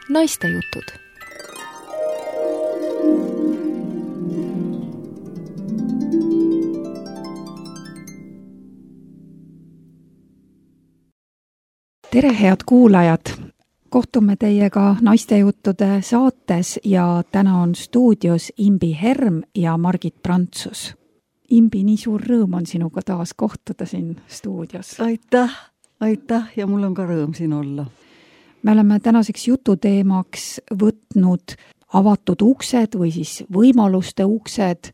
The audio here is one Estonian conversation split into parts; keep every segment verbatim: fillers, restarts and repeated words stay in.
Naistejutud. Tere, head kuulajad! Kohtume teiega Naistejuttude saates ja täna on stuudios Imbi Herm ja Margit Prantsus. Imbi, nii suur rõõm on sinuga taas kohtuda siin stuudios. Aitäh, aitäh ja mul on ka rõõm siin olla. Me oleme tänaseks jututeemaks võtnud avatud uksed või siis võimaluste uksed,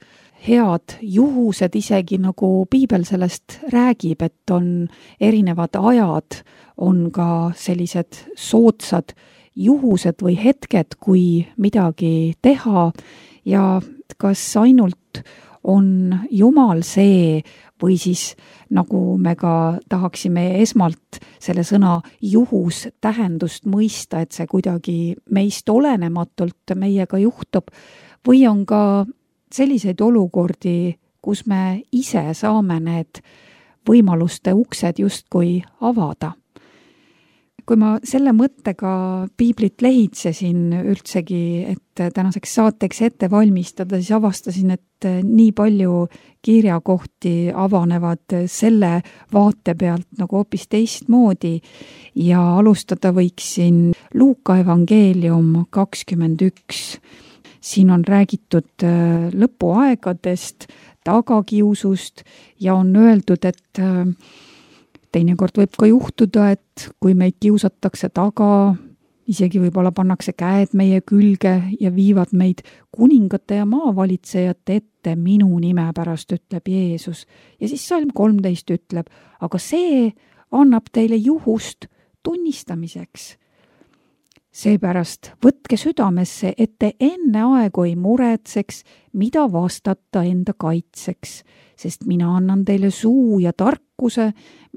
head juhused, isegi nagu piibel sellest räägib, et on erinevad ajad, on ka sellised soodsad juhused või hetked, kui midagi teha ja kas ainult on Jumal see või siis nagu me ka tahaksime esmalt selle sõna juhus tähendust mõista, et see kuidagi meist olenematult meiega juhtub või on ka selliseid olukordi, kus me ise saame need võimaluste uksed justkui avada. Kui ma selle mõttega piiblit lehitsesin üldsegi, et tänaseks saateks ette valmistada, siis avastasin, et nii palju kirjakohti avanevad selle vaate pealt nagu hoopis teistmoodi ja alustada võiksin Luuka evangeelium kakskümmend üks. Siin on räägitud lõpuaegadest, tagakiusust ja on öeldud, et teinekord võib ka juhtuda, et kui meid kiusatakse taga, isegi võib-olla pannakse käed meie külge ja viivad meid kuningate ja maavalitsejate ette minu nime pärast, ütleb Jeesus. Ja siis salm kolmteist ütleb, aga see annab teile juhust tunnistamiseks. Seepärast võtke südamesse, et te enne aegu ei muretseks, mida vastata enda kaitseks, sest mina annan teile suu ja tarkuse,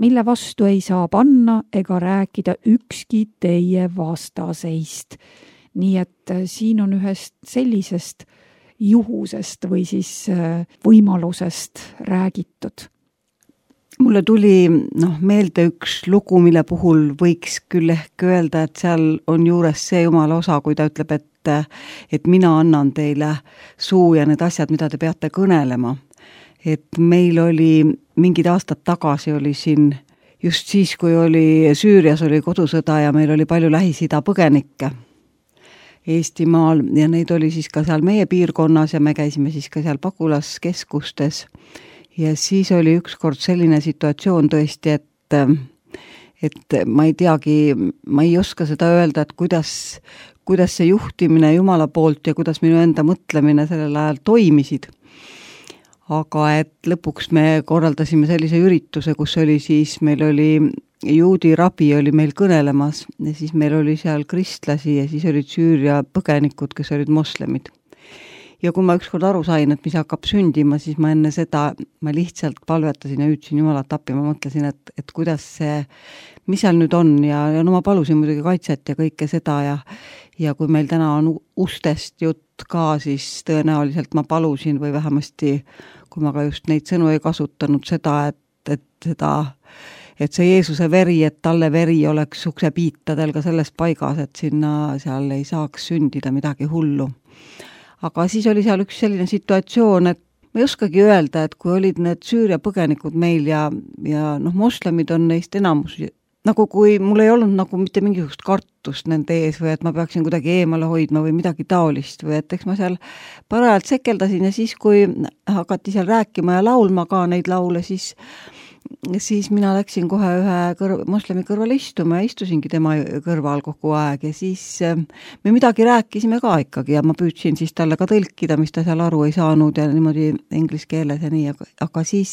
mille vastu ei saa panna ega rääkida ükski teie vastaseist. Nii et siin on ühest sellisest juhusest või siis võimalusest räägitud. Mulle tuli noh, meelde üks lugu, mille puhul võiks küll ehk öelda, et seal on juures see Jumala osa, kui ta ütleb, et, et mina annan teile suu ja need asjad, mida te peate kõnelema. Et meil oli mingid aastad tagasi oli siin just siis, kui oli Süürias oli kodusõda ja meil oli palju Lähis-Ida põgenikke Eestimaal ja neid oli siis ka seal meie piirkonnas ja me käisime siis ka seal pagulaskeskustes. Ja siis oli ükskord selline situatsioon tõesti, et, et ma ei teagi, ma ei oska seda öelda, et kuidas, kuidas see juhtimine Jumala poolt ja kuidas minu enda mõtlemine sellel ajal toimisid. Aga et lõpuks me korraldasime sellise ürituse, kus oli siis, meil oli juudi rabi oli meil kõnelemas ja siis meil oli seal kristlasi ja siis olid Süüria põgenikud, kes olid moslemid. Ja kui ma ükskord aru sain, et mis hakkab sündima, siis ma enne seda, ma lihtsalt palvetasin ja hüüdsin Jumalat appi, ma mõtlesin, et, et kuidas see, mis seal nüüd on ja, ja no ma palusin muidugi kaitset ja kõike seda ja, ja kui meil täna on ustest jutt ka, siis tõenäoliselt ma palusin või vähemasti, kui ma ka just neid sõnu ei kasutanud seda, et, et seda, et see Jeesuse veri, et talle veri oleks uksepiitadel ka selles paigas, et sinna seal ei saaks sündida midagi hullu. Aga siis oli seal üks selline situatsioon, et ma ei oskagi öelda, et kui olid need Süüria põgenikud meil ja, ja noh, moslemid on neist enamus, nagu kui mul ei olnud nagu mitte mingisugust kartust nende ees või et ma peaksin kuidagi eemale hoidma või midagi taolist või et eks ma seal parajalt sekeldasin ja siis, kui hakati seal rääkima ja laulma ka neid laule, siis siis mina läksin kohe ühe kõrv, moslemi kõrval istuma ja istusingi tema kõrval kogu aeg ja siis me midagi rääkisime ka ikkagi ja ma püüdsin siis talle ka tõlkida, mis ta seal aru ei saanud ja niimoodi inglise keeles ja nii, aga siis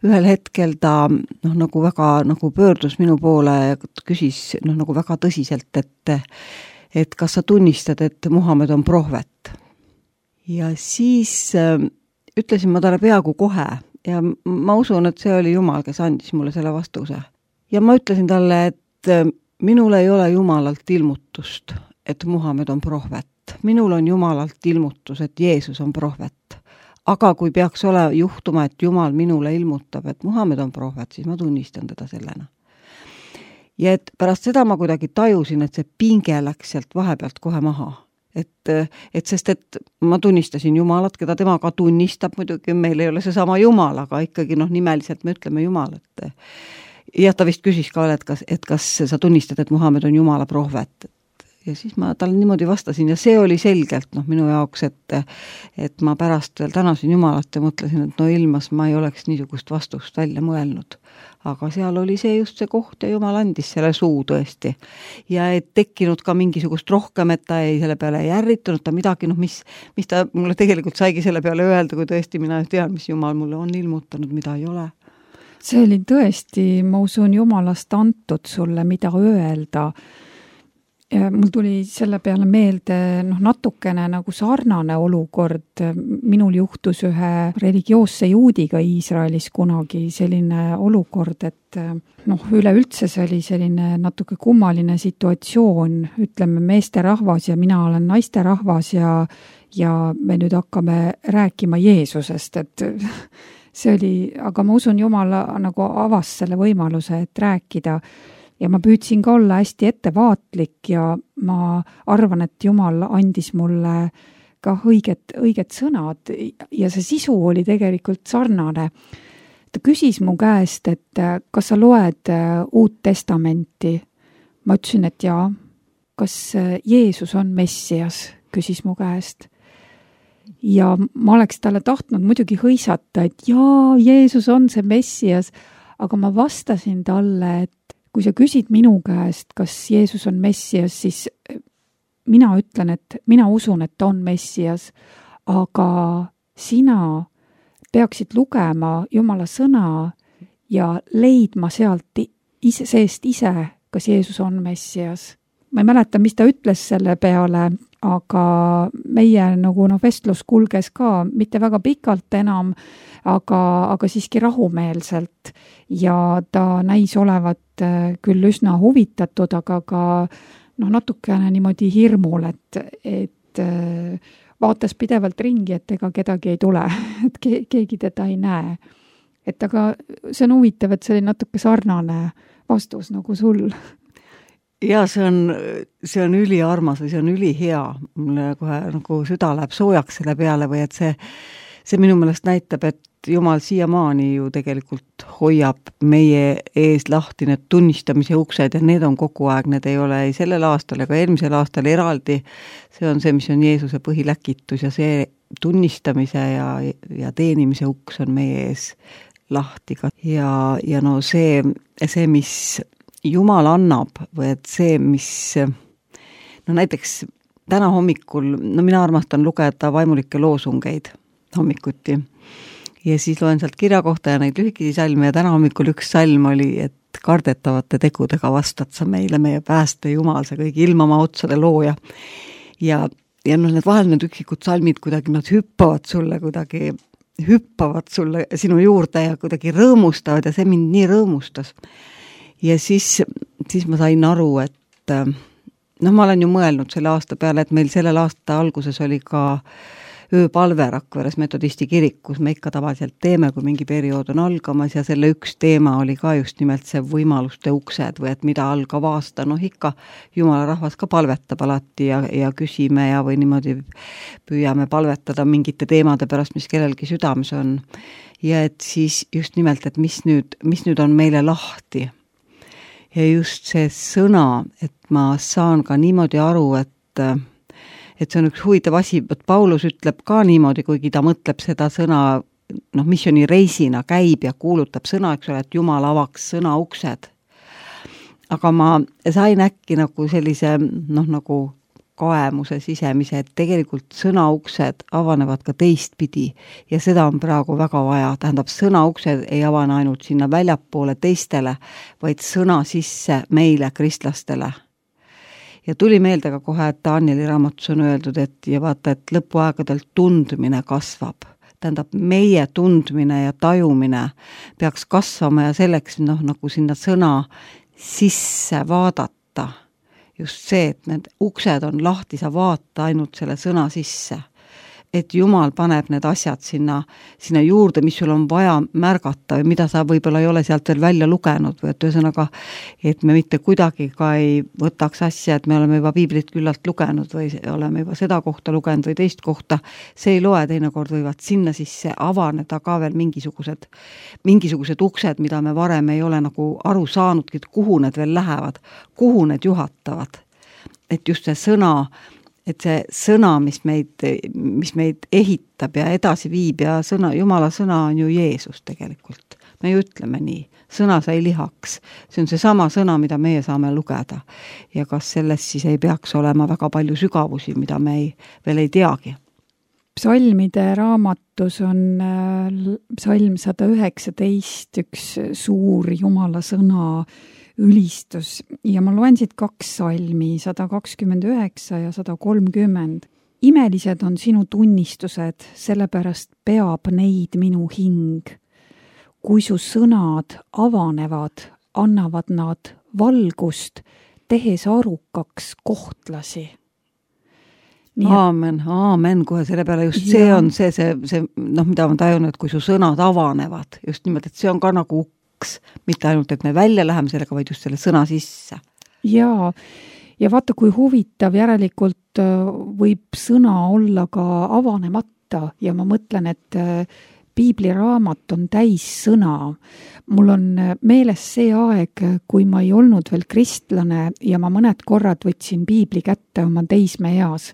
ühel hetkel ta noh, nagu väga nagu pöördus minu poole ja küsis noh, nagu väga tõsiselt, et, et kas sa tunnistad, et Muhamed on prohvet. Ja siis ütlesin ma talle peaaegu kohe ja ma usun, et see oli Jumal, kes andis mulle selle vastuse. Ja ma ütlesin talle, et minul ei ole Jumalalt ilmutust, et Muhamed on prohvet. Minul on Jumalalt ilmutus, et Jeesus on prohvet. Aga kui peaks ole juhtuma, et Jumal minule ilmutab, et Muhamed on prohvet, siis ma tunnistan teda sellena. ja et pärast seda ma kuidagi tajusin, et see pinge läks sealt vahepealt kohe maha. Et, et sest, et ma tunnistasin Jumalat, keda tema ka tunnistab, muidugi meil ei ole see sama Jumal, aga ikkagi noh, nimeliselt me ütleme Jumal, et jah, ta vist küsis ka, et kas, et kas sa tunnistad, et Muhamed on Jumala prohvet. Ja siis ma talle niimoodi vastasin ja see oli selgelt noh, minu jaoks, et, et ma pärast veel tänasin Jumalat ja mõtlesin, et no ilmas ma ei oleks niisugust vastust välja mõelnud. Aga seal oli see just see koht ja Jumal andis selle suu tõesti. Ja et tekkinud ka mingisugust rohkem, et ta ei selle peale ei ärritunud, ta midagi, noh, mis, mis ta mulle tegelikult saigi selle peale öelda, kui tõesti mina tean, mis Jumal mulle on ilmutanud, mida ei ole. See oli tõesti, ma usun, Jumalast antud sulle, mida öelda. Ja mul tuli selle peale meelde noh, natukene nagu sarnane olukord. Minul juhtus ühe religioosse juudiga Iisraelis kunagi selline olukord, et noh, üleüldse see oli selline natuke kummaline situatsioon, ütleme meeste rahvas ja mina olen naiste rahvas ja, ja me nüüd hakkame rääkima Jeesusest, et see oli, aga ma usun, Jumal nagu avas selle võimaluse, et rääkida. Ja ma püüdsin ka olla hästi ettevaatlik ja ma arvan, et Jumal andis mulle ka õiget, õiget sõnad ja see sisu oli tegelikult sarnane. Ta küsis mu käest, et kas sa loed Uut Testamenti? Ma ütlesin, et jaa. Kas Jeesus on Messias? Küsis mu käest. Ja ma oleks talle tahtnud muidugi hõisata, et jaa, Jeesus on see Messias, aga ma vastasin talle, et kui sa küsid minu käest, kas Jeesus on Messias, siis mina ütlen, et mina usun, et ta on Messias, aga sina peaksid lugema Jumala sõna ja leidma sealt ise, seest ise, kas Jeesus on Messias. Ma ei mäleta, mis ta ütles selle peale, aga meie nagu no, vestlus kulges ka mitte väga pikalt enam, aga, aga siiski rahumeelselt ja ta näis olevat küll üsna huvitatud, aga ka noh, natukene niimoodi hirmul, et, et vaatas pidevalt ringi, et ega kedagi ei tule, et ke, keegi teda ei näe. Et aga see on huvitav, et see oli natuke sarnane vastus nagu sul. Ja see on, see on üli armas või see on üli hea. Mulle kohe nagu süda läheb soojaks selle peale või et see, see minu meelest näitab, et Jumal siiamaani ju tegelikult hoiab meie ees lahti need tunnistamise uksed ja need on kogu aeg, need ei ole ei sellel aastal ega eelmisel aastal eraldi. See on see, mis on Jeesuse põhiläkitus ja see tunnistamise ja, ja teenimise uks on meie ees lahti. Ja, ja no see, see, mis Jumal annab või et see, mis no näiteks täna hommikul, no mina armastan lugeda vaimulikke loosungeid hommikuti ja siis loen sealt kirja kohta ja neid lühikesi salme ja täna hommikul üks salm oli, et kardetavate tegudega vastad sa meile, meie pääste Jumal, see kõigi ilmamaa otsade looja ja, ja no need vahel need üksikud salmid kuidagi nad hüppavad sulle kuidagi hüppavad sulle sinu juurde ja kuidagi rõõmustavad ja see mind nii rõõmustas. Ja siis, siis ma sain aru, et noh, ma olen ju mõelnud selle aasta peale, et meil sellel aasta alguses oli ka ööpalve Rakveres metodisti kirikus, me ikka tavaliselt teeme, kui mingi periood on algamas ja selle üks teema oli ka just nimelt see võimaluste uksed või et mida algav aasta, noh ikka Jumala rahvas ka palvetab alati ja, ja küsime ja või niimoodi püüame palvetada mingite teemade pärast, mis kellelgi südames on. Ja et siis just nimelt, et mis nüüd, mis nüüd on meile lahti. Ja just see sõna, et ma saan ka niimoodi aru, et, et see on üks huvitav asi, et Paulus ütleb ka niimoodi, kuigi ta mõtleb seda sõna, noh, missiooni reisina käib ja kuulutab sõna, eks ole, et Jumal avaks sõna uksed. Aga ma sain äkki nagu sellise, noh, nagu kaemuse sisemise, et tegelikult sõnauksed avanevad ka teistpidi ja seda on praegu väga vaja. Tähendab, sõnauksed ei avane ainult sinna väljapoole teistele, vaid sõna sisse meile, kristlastele. Ja tuli meelde ka kohe, et Danieli raamatus on öeldud, et ja vaata, et lõpuaegadel tundmine kasvab. Tähendab, meie tundmine ja tajumine peaks kasvama ja selleks noh, nagu sinna sõna sisse vaadata. Just see, et need uksed on lahti, sa vaata ainult selle sõna sisse. et Jumal paneb need asjad sinna, sinna juurde, mis sul on vaja märgata või mida sa võib-olla ei ole sealt veel välja lugenud või et ühesõnaga, et me mitte kuidagi ka ei võtaks asja, et me oleme juba piiblit küllalt lugenud või oleme juba seda kohta lugenud või teist kohta, see ei loe, teinekord võivad sinna sisse avaneda ka veel mingisugused, mingisugused uksed, mida me varem ei ole nagu aru saanudki, et kuhu need veel lähevad, kuhu need juhatavad. Et just see sõna, et see sõna, mis meid, mis meid ehitab ja edasi viib ja sõna, Jumala sõna on ju Jeesus tegelikult. Me ju ütleme nii, sõna sai lihaks. See on see sama sõna, mida meie saame lugeda. Ja kas selles siis ei peaks olema väga palju sügavusi, mida me ei, veel ei teagi? Psalmide raamatus on psalm sada üheksateist, üks suur Jumala sõna ülistus ja ma loen siit kaks salmi, sada kakskümmend üheksa ja sada kolmkümmend. Imelised on sinu tunnistused, sellepärast peab neid minu hing. Kui su sõnad avanevad, annavad nad valgust, tehes arukaks kohtlasi. Nii, aamen, aamen, kohe selle peale just ja. see on see, see, see noh, mida ma tajun, et kui su sõnad avanevad, just nimelt, et see on ka nagu mitte ainult, et me välja läheme sellega, vaid just selle sõna sisse. Jaa, ja vaata, kui huvitav järelikult võib sõna olla ka avanemata ja ma mõtlen, et piibliraamat on täis sõna. Mul on meeles see aeg, kui ma ei olnud veel kristlane ja ma mõned korrad võtsin piibli kätte oma teismeeas.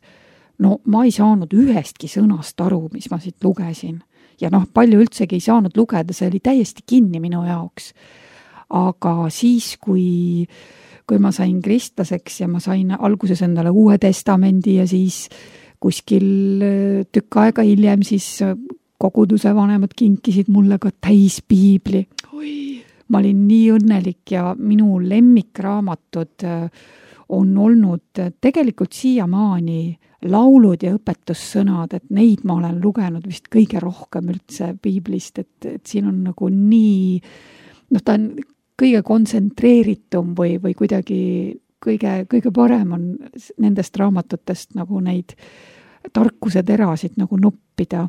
No ma ei saanud ühestki sõnast aru, mis ma siit lugesin. Ja noh, palju üldsegi ei saanud lugeda, see oli täiesti kinni minu jaoks. Aga siis, kui, kui ma sain kristlaseks ja ma sain alguses endale Uue Testamendi ja siis kuskil tükk aega hiljem siis koguduse vanemad kinkisid mulle ka täis piibli. Oi. Ma olin nii õnnelik ja minu lemmikraamatud on olnud tegelikult siiamaani laulud ja õpetussõnad, et neid ma olen lugenud vist kõige rohkem üldse piiblist, et, et siin on nagu nii, noh, ta on kõige kontsentreeritum või, või kuidagi kõige, kõige parem on nendest raamatutest nagu neid tarkuse terasid nagu noppida.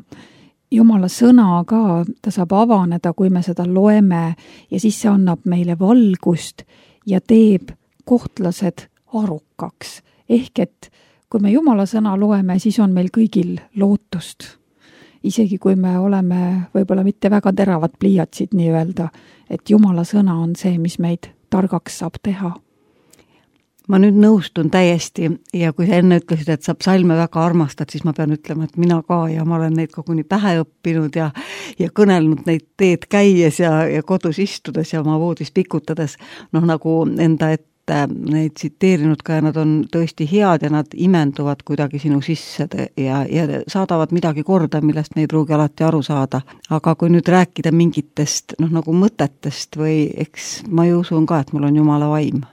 Jumala sõna ka, ta saab avaneda, kui me seda loeme ja siis see annab meile valgust ja teeb kohtlased arukaks. Ehk et kui me Jumala sõna loeme, siis on meil kõigil lootust. Isegi kui me oleme võib-olla mitte väga teravad pliiatsid nii öelda, et Jumala sõna on see, mis meid targaks saab teha. Ma nüüd nõustun täiesti ja kui sa enne ütlesid, et sa psalme väga armastad, siis ma pean ütlema, et mina ka ja ma olen neid koguni pähe õppinud ja, ja kõnelnud neid teed käies ja, ja kodus istudes ja oma voodis pikutades, noh nagu enda ette neid tsiteerinud ka ja nad on tõesti head ja nad imenduvad kuidagi sinu sisse ja, ja saadavad midagi korda, millest me ei pruugi alati aru saada. Aga kui nüüd rääkida mingitest noh, nagu mõtetest või eks ma ju usun ka, et mul on Jumala vaim.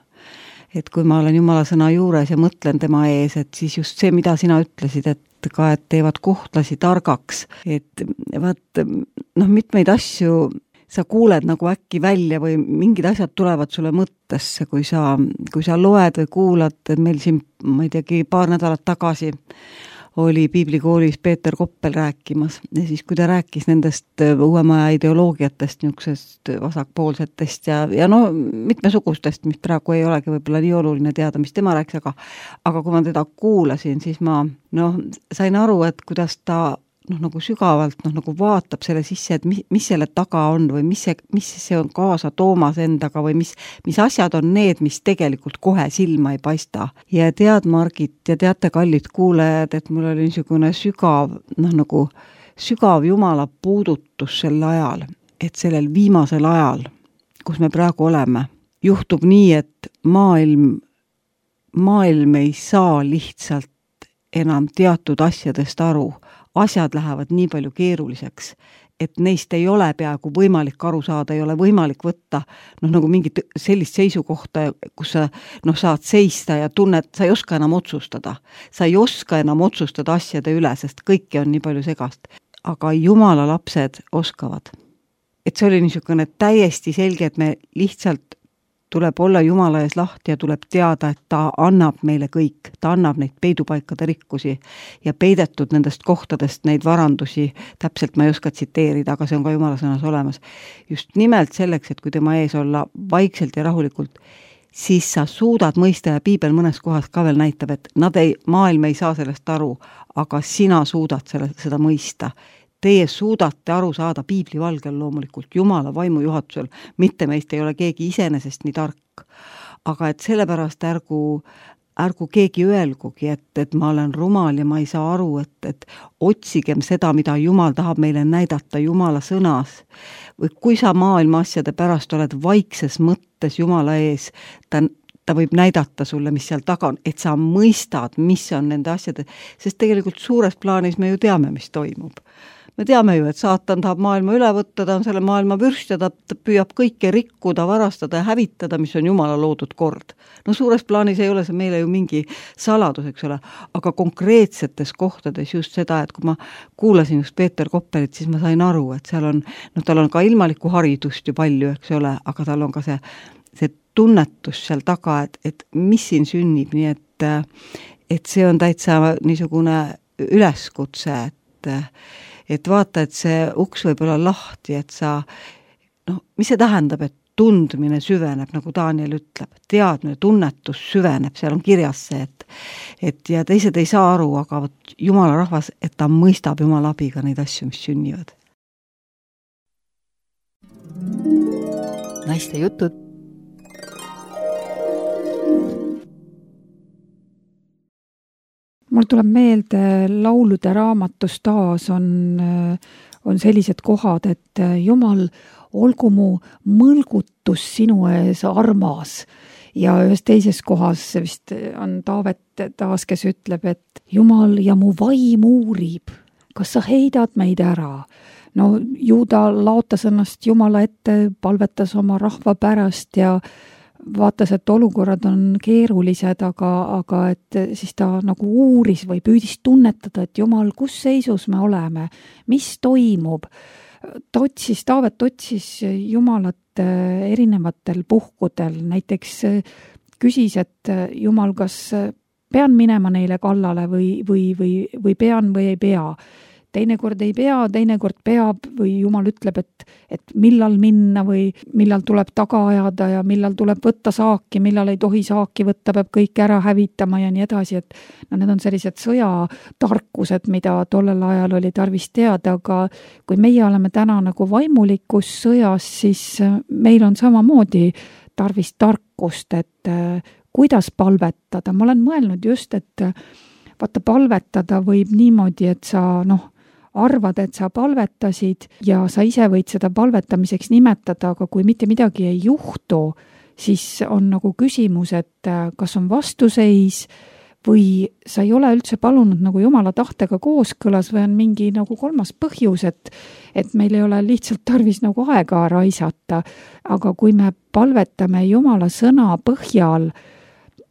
Et kui ma olen Jumala sõna juures ja mõtlen tema ees, et siis just see, mida sina ütlesid, et ka, et teevad kohtlasi targaks, et vaat, noh, mitmeid asju sa kuuled nagu äkki välja või mingid asjad tulevad sulle mõttesse, kui sa, kui sa loed või kuulad, et meil siin, ma ei teagi, paar nädalat tagasi oli piiblikoolis Peeter Koppel rääkimas ja siis, kui ta rääkis nendest uuemaja ideoloogiatest, niisugusest vasakpoolsetest ja, ja no mitmesugustest, mis praegu ei olegi võib-olla nii oluline teada, mis tema rääkis, aga, aga kui ma teda kuulasin, siis ma noh, sain aru, et kuidas ta noh, nagu sügavalt, noh, nagu vaatab selle sisse, et mis, mis selle taga on või mis see, mis see on kaasa toomas endaga või mis, mis asjad on need, mis tegelikult kohe silma ei paista. Ja tead, Margit, ja teate, kallid kuulajad, et mul oli niisugune sügav, noh, nagu sügav Jumala puudutus sel ajal, et sellel viimasel ajal, kus me praegu oleme, juhtub nii, et maailm, maailm ei saa lihtsalt enam teatud asjadest aru. Asjad lähevad nii palju keeruliseks, et neist ei ole peaaegu võimalik aru saada, ei ole võimalik võtta noh, nagu mingit sellist seisukohta, kus sa noh, saad seista ja tunned, sa ei oska enam otsustada. Sa ei oska enam otsustada asjade üle, sest kõike on nii palju segast. Aga Jumala lapsed oskavad. Et see oli niisugune täiesti selge, et me lihtsalt tuleb olla Jumala ees lahti ja tuleb teada, et ta annab meile kõik, ta annab neid peidupaikade rikkusi ja peidetud nendest kohtadest neid varandusi, täpselt ma ei oska tsiteerida, aga see on ka Jumala sõnas olemas. Just nimelt selleks, et kui tema ees olla vaikselt ja rahulikult, siis sa suudad mõista ja piibel mõnes kohas ka veel näitab, et nad ei, maailm ei saa sellest aru, aga sina suudad selle, seda mõista. Teie suudate aru saada piibli valgel loomulikult, Jumala vaimu juhatusel, mitte meist ei ole keegi iseenesest nii tark. Aga et sellepärast ärgu, ärgu keegi öelgugi, et, et ma olen rumal ja ma ei saa aru, et, et otsigem seda, mida Jumal tahab meile näidata Jumala sõnas. Või kui sa maailma asjade pärast oled vaikses mõttes Jumala ees, ta ta võib näidata sulle, mis seal taga on, et sa mõistad, mis on nende asjade, sest tegelikult suures plaanis me ju teame, mis toimub. Me teame ju, et saatan tahab maailma üle võtta, ta on selle maailma vürst ja ta, ta püüab kõike rikkuda, varastada ja hävitada, mis on Jumala loodud kord. No suures plaanis ei ole see meile ju mingi saladus, eks ole, aga konkreetsetes kohtades just seda, et kui ma kuulasin just Peeter Koppelit, siis ma sain aru, et seal on, no tal on ka ilmalikku haridust ju palju, eks ole, aga tal on ka see, see tunnetus seal taga, et, et mis siin sünnib, nii et, et see on täitsa niisugune üleskutse, et et vaata, et see uks võib olla lahti, et sa, noh, mis see tähendab, et tundmine süveneb, nagu Daniel ütleb, teadmine, tunnetus süveneb, seal on kirjas see, et, et ja teised ei saa aru, aga võt, Jumala rahvas, et ta mõistab Jumala abiga neid asju, mis sünnivad. Naiste jutud. Mul tuleb meelde laulude raamatus taas on, on sellised kohad, et Jumal, olgu mu mõlgutus sinu ees armas. Ja ühes teises kohas vist on Taavet taas, kes ütleb, et Jumal ja mu vaim uurib, kas sa heidad meid ära? No Juuda laotas ennast Jumala ette, palvetas oma rahva pärast ja vaatas, et olukorrad on keerulised, aga, aga et siis ta nagu uuris või püüdis tunnetada, et Jumal, kus seisus me oleme, mis toimub. Ta otsis, Taavet otsis Jumalat erinevatel puhkudel, näiteks küsis, et Jumal, kas pean minema neile kallale või, või, või, või pean või ei pea. Teinekord ei pea, teinekord peab või Jumal ütleb, et, et millal minna või millal tuleb taga ajada ja millal tuleb võtta saaki, millal ei tohi saaki võtta, peab kõik ära hävitama ja nii edasi, et no need on sellised sõjatarkused, mida tollel ajal oli tarvis teada, aga kui meie oleme täna nagu vaimulikus sõjas, siis meil on samamoodi tarvis tarkust, et kuidas palvetada. Ma olen mõelnud just, et vaata, palvetada võib niimoodi, et sa noh, arvad, et sa palvetasid ja sa ise võid seda palvetamiseks nimetada, aga kui mitte midagi ei juhtu, siis on nagu küsimus, et kas on vastuseis või sa ei ole üldse palunud nagu Jumala tahtega kooskõlas või on mingi nagu kolmas põhjus, et, et meil ei ole lihtsalt tarvis nagu aega raisata. Aga kui me palvetame Jumala sõna põhjal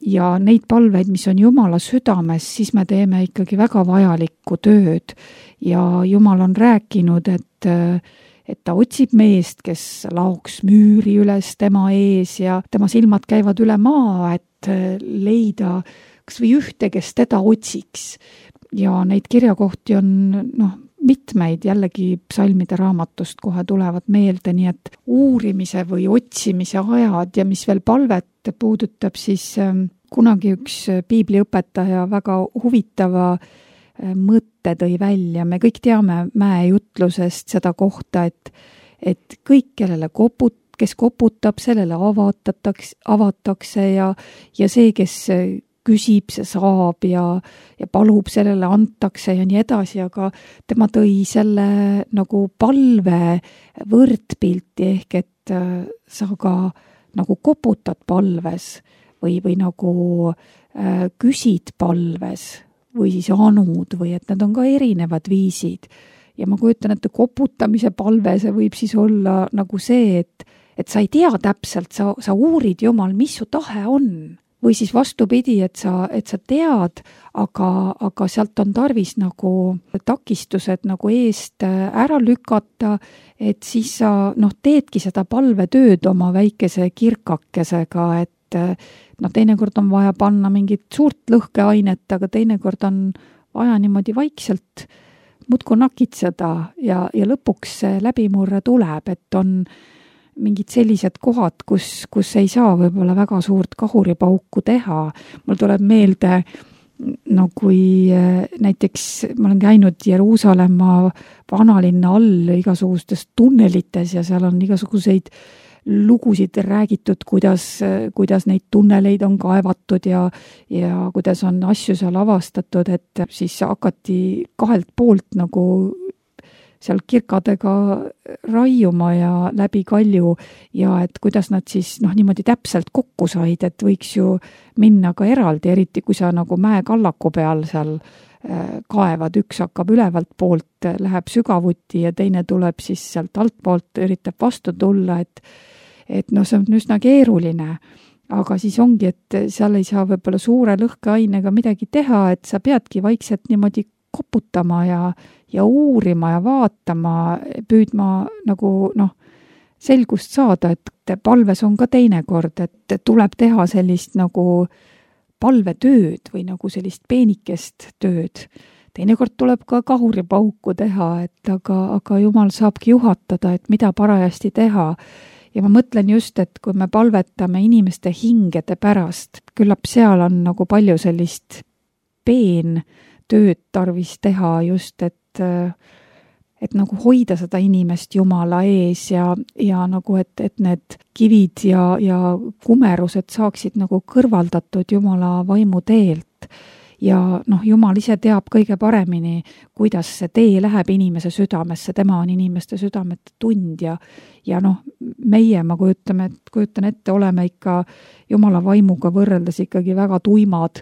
ja neid palveid, mis on Jumala südames, siis me teeme ikkagi väga vajalikku tööd. Ja Jumal on rääkinud, et, et ta otsib meest, kes laoks müüri üles tema ees ja tema silmad käivad üle maa, et leida kas või ühte, kes teda otsiks. Ja neid kirjakohti on noh, mitmeid, jällegi psalmide raamatust kohe tulevad meelde, nii et uurimise või otsimise ajad ja mis veel palvet puudutab, siis kunagi üks piibliõpetaja väga huvitava mõtte tõi välja. Me kõik teame mäejutlusest seda kohta, et, et kõik, kellele koput, kes koputab, sellele avatakse, avatakse ja, ja see, kes küsib, see saab ja, ja palub, sellele antakse ja nii edasi, aga tema tõi selle nagu palve võrdpilti ehk, et sa ka nagu koputad palves või, või nagu äh, küsid palves või siis anud või et need on ka erinevad viisid. Ja ma kujutan, et koputamise palve, see võib siis olla nagu see, et, et sa ei tea täpselt, sa, sa uurid Jumal, mis su tahe on. või siis vastupidi, et sa, et sa tead, aga, aga sealt on tarvis nagu takistused nagu eest ära lükata, et siis sa noh, teedki seda palvetööd oma väikese kirkakesega, et noh, teinekord on vaja panna mingit suurt lõhkeainet, aga teinekord on vaja niimoodi vaikselt muudku nakitseda ja, ja lõpuks see läbimurre tuleb, et on mingid sellised kohad, kus, kus ei saa võib-olla väga suurt kahuripauku teha. Mul tuleb meelde, no kui näiteks ma olen käinud Jeruusalemma vanalinna all igasugustes tunnelites ja seal on igasuguseid lugusid räägitud, kuidas, kuidas neid tunneleid on kaevatud ja, ja kuidas on asju seal avastatud, et siis hakati kahelt poolt nagu seal kirkadega raiuma ja läbi kalju ja et kuidas nad siis noh, niimoodi täpselt kokku said, et võiks ju minna ka eraldi, eriti kui sa nagu mäekallaku peal seal kaevad, üks hakkab ülevalt poolt, läheb sügavuti ja teine tuleb siis sealt altpoolt, üritab vastu tulla, et, et noh, see on üsna keeruline. Aga siis ongi, et seal ei saa võib-olla suure lõhkeainega midagi teha, et sa peadki vaikselt niimoodi koputama ja, ja uurima ja vaatama, püüdma nagu noh, selgust saada, et palves on ka teinekord, et tuleb teha sellist nagu palvetööd või nagu sellist peenikest tööd. Teinekord tuleb ka kahuripauku teha, et aga, aga Jumal saabki juhatada, et mida parajasti teha. Ja ma mõtlen just, et kui me palvetame inimeste hingede pärast, küllap seal on nagu palju sellist peen tööd tarvis teha just, et, et nagu hoida seda inimest Jumala ees ja, ja nagu, et, et need kivid ja, ja kumerused saaksid nagu kõrvaldatud Jumala vaimu teelt. Ja noh, Jumal ise teab kõige paremini, kuidas see tee läheb inimese südamesse, tema on inimeste südamete tundja ja noh, meie, ma kujutame, kujutan ette, oleme ikka Jumala vaimuga võrreldes ikkagi väga tuimad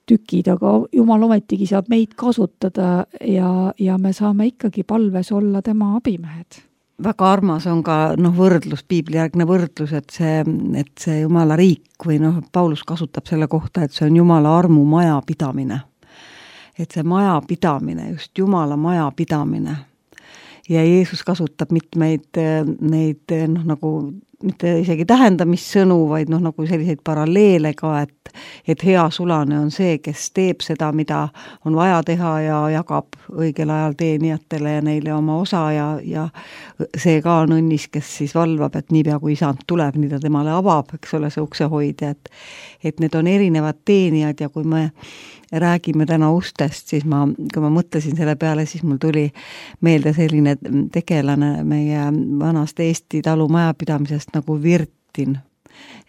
tükid, aga Jumal ometigi saab meid kasutada ja, ja me saame ikkagi palves olla tema abimehed. Väga armas on ka noh, võrdlus, piiblijärgne võrdlus, et see, et see Jumala riik või noh, Paulus kasutab selle kohta, et see on Jumala armu maja pidamine. Et see maja pidamine, just Jumala maja pidamine. Ja Jeesus kasutab mitmeid neid noh, nagu mitte isegi tähendamissõnu, vaid noh, nagu selliseid paralleele ka, et, et hea sulane on see, kes teeb seda, mida on vaja teha ja jagab õigel ajal teenijatele ja neile oma osa ja, ja see ka on õnnis, kes siis valvab, et niipea kui isand tuleb, nii ta temale avab, eks ole, see uksehoidja, et, et need on erinevad teenijad ja kui me räägime täna ustest, siis ma, kui ma mõtlesin selle peale, siis mul tuli meelde selline tegelane meie vanast Eesti talumajapidamisest nagu Virtin.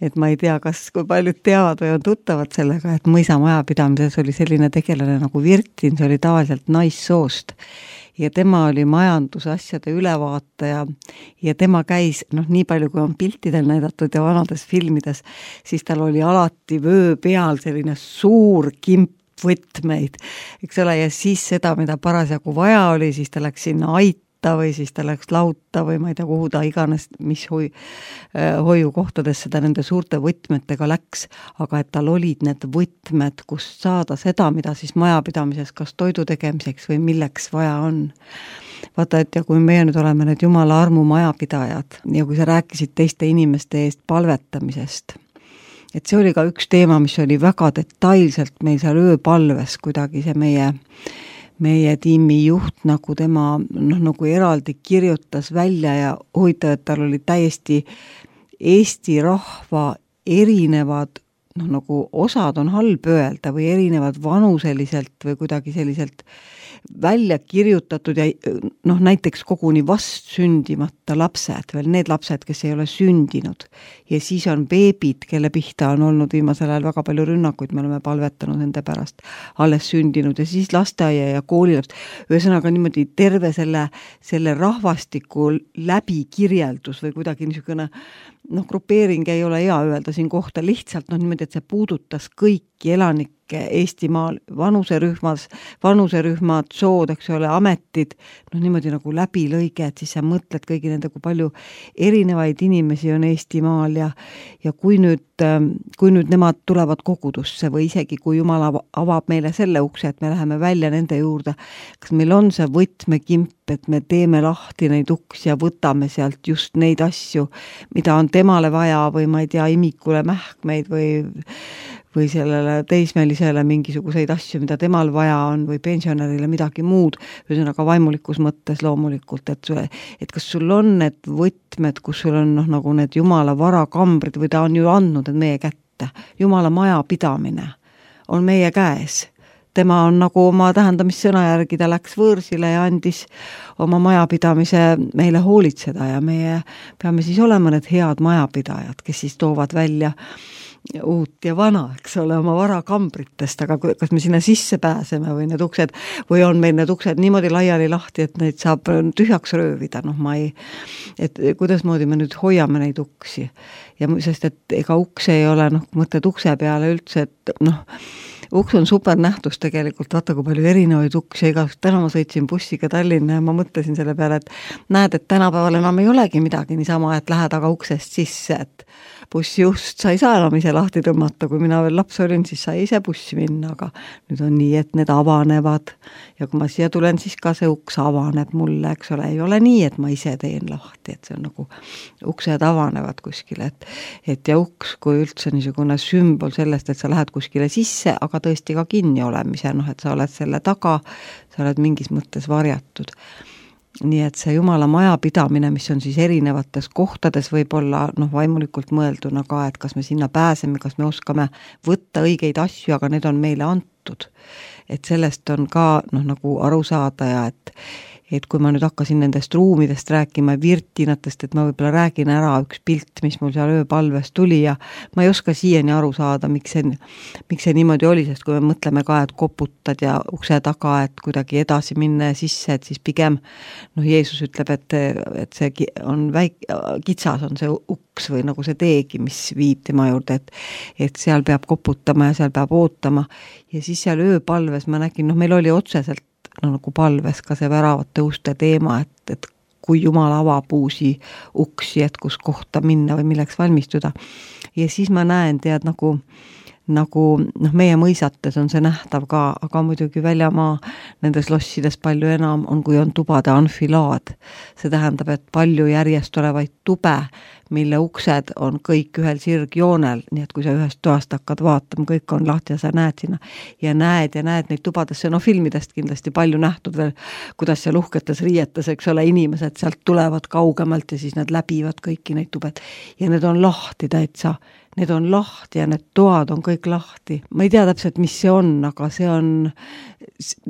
Et ma ei tea, kas kui paljud teavad või on tuttavad sellega, et mõisa majapidamises oli selline tegelane nagu Virtin, see oli tavaliselt naissoost. Ja tema oli majandusasjade ülevaataja ja tema käis, noh nii palju kui on piltidel näidatud ja vanades filmides, siis tal oli alati vöö peal selline suur kimp võtmeid, eks ole, ja siis seda, mida parasjagu vaja oli, siis ta läks sinna aita või siis ta läks lauta või ma ei tea, kuhu ta iganes, mis hoi, hoiukohtadesse ta nende suurte võtmetega läks, aga et tal olid need võtmed, kust saada seda, mida siis majapidamises kas toidu tegemiseks või milleks vaja on. Vaata, et ja kui meie nüüd oleme need Jumala armu majapidajad ja kui sa rääkisid teiste inimeste eest palvetamisest, et see oli ka üks teema, mis oli väga detailselt meil seal ööpalves kuidagi see meie, meie tiimi juht, nagu tema noh, nagu eraldi kirjutas välja ja huvitav, et tal oli täiesti Eesti rahva erinevad, noh nagu osad on halb öelda või erinevad vanuseliselt või kuidagi selliselt välja kirjutatud ja noh, näiteks koguni vast sündimata lapsed, veel need lapsed, kes ei ole sündinud. Ja siis on beebid, kelle pihta on olnud viimasel ajal väga palju rünnakuid, me oleme palvetanud nende pärast alles sündinud ja siis lasteaia ja koolilaps. Ühesõnaga niimoodi terve selle, selle rahvastiku läbikirjeldus või kuidagi niisugune noh, grupeering ei ole hea öelda siin kohta lihtsalt, noh niimoodi, et see puudutas kõiki elanik, Eestimaal vanuserühmas, vanuserühmad, sood, eks ole, ametid, noh niimoodi nagu läbilõige, et siis sa mõtled kõigi nende, kui palju erinevaid inimesi on Eestimaal ja, ja kui nüüd, kui nüüd nemad tulevad kogudusse või isegi kui Jumal avab meile selle ukse, et me läheme välja nende juurde, kas meil on see võtmekimp, et me teeme lahti neid uksi ja võtame sealt just neid asju, mida on temale vaja või ma ei tea, imikule mähkmeid või või sellele teismelisele mingisuguseid asju, mida temal vaja on või pensionärile midagi muud, ühesõnaga vaimulikus mõttes loomulikult, et, sulle, et kas sul on need võtmed, kus sul on noh, nagu need Jumala varakambrid või ta on ju andnud need meie kätte. Jumala maja pidamine on meie käes. Tema on nagu oma tähendamissõna järgi, ta läks võõrsile ja andis oma majapidamise meile hoolitseda ja meie peame siis olema need head majapidajad, kes siis toovad välja uut ja vana, eks ole, oma varakambritest, aga kas me sinna sisse pääseme või need uksed, või on meil need uksed niimoodi laiali lahti, et neid saab tühjaks röövida, noh ma ei, et kuidas moodi me nüüd hoiame neid uksi. Ja sest, et ega uks ei ole, noh, mõtled ukse peale üldse, et noh, uks on super nähtus tegelikult, vaata kui palju erinevaid uksi, ega täna ma sõitsin bussiga Tallinna ja ma mõtlesin selle peale, et näed, et tänapäeval enam ei olegi midagi niisama, et lähed aga uksest sisse, et bussi just sa ei saa enam ise lahti tõmmata, kui mina veel laps olin, siis sai ise bussi minna, aga nüüd on nii, et need avanevad ja kui ma siia tulen, siis ka see uks avaneb mulle, eks ole, ei ole nii, et ma ise teen lahti, et see on nagu uksed avanevad kuskile, et, et ja uks kui üldse niisugune sümbol sellest, et sa lähed kuskile sisse, aga tõesti ka kinni olemise, noh, et sa oled selle taga, sa oled mingis mõttes varjatud. Nii et see Jumala maja pidamine, mis on siis erinevates kohtades võib-olla noh, vaimulikult mõelduna ka, et kas me sinna pääseme, kas me oskame võtta õigeid asju, aga need on meile antud. Et sellest on ka noh, nagu aru saada ja et et kui ma nüüd hakkasin nendest ruumidest rääkima, virtinatest, et ma võib-olla räägin ära üks pilt, mis mul seal ööpalves tuli ja ma ei oska siiani aru saada, miks see, miks see niimoodi oli, sest kui me mõtleme ka, et koputad ja ukse taga, et kuidagi edasi minna ja sisse, et siis pigem noh, Jeesus ütleb, et, et see on väik, kitsas on see uks või nagu see teegi, mis viib tema juurde, et, et seal peab koputama ja seal peab ootama ja siis seal ööpalves ma nägin, noh, meil oli otseselt no nagu palves ka see väravate uste teema, et, et kui Jumal avab uusi uksi, et kus kohta minna või milleks valmistuda. Ja siis ma näen, tead, nagu, nagu noh, meie mõisates on see nähtav ka, aga muidugi väljamaa nendes lossides palju enam on, kui on tubade anfilaad. See tähendab, et palju järjest olevaid tube, mille uksed on kõik ühel sirgjoonel, nii et kui sa ühest toast hakkad vaatama, kõik on lahti ja sa näed sinna ja näed ja näed neid tubadesse, no filmidest kindlasti palju nähtud veel, kuidas seal uhketes riietes, eks ole, inimesed sealt tulevad kaugemalt ja siis nad läbivad kõiki neid tubed ja need on lahti täitsa, need on lahti ja need toad on kõik lahti. Ma ei tea täpselt, mis see on, aga see on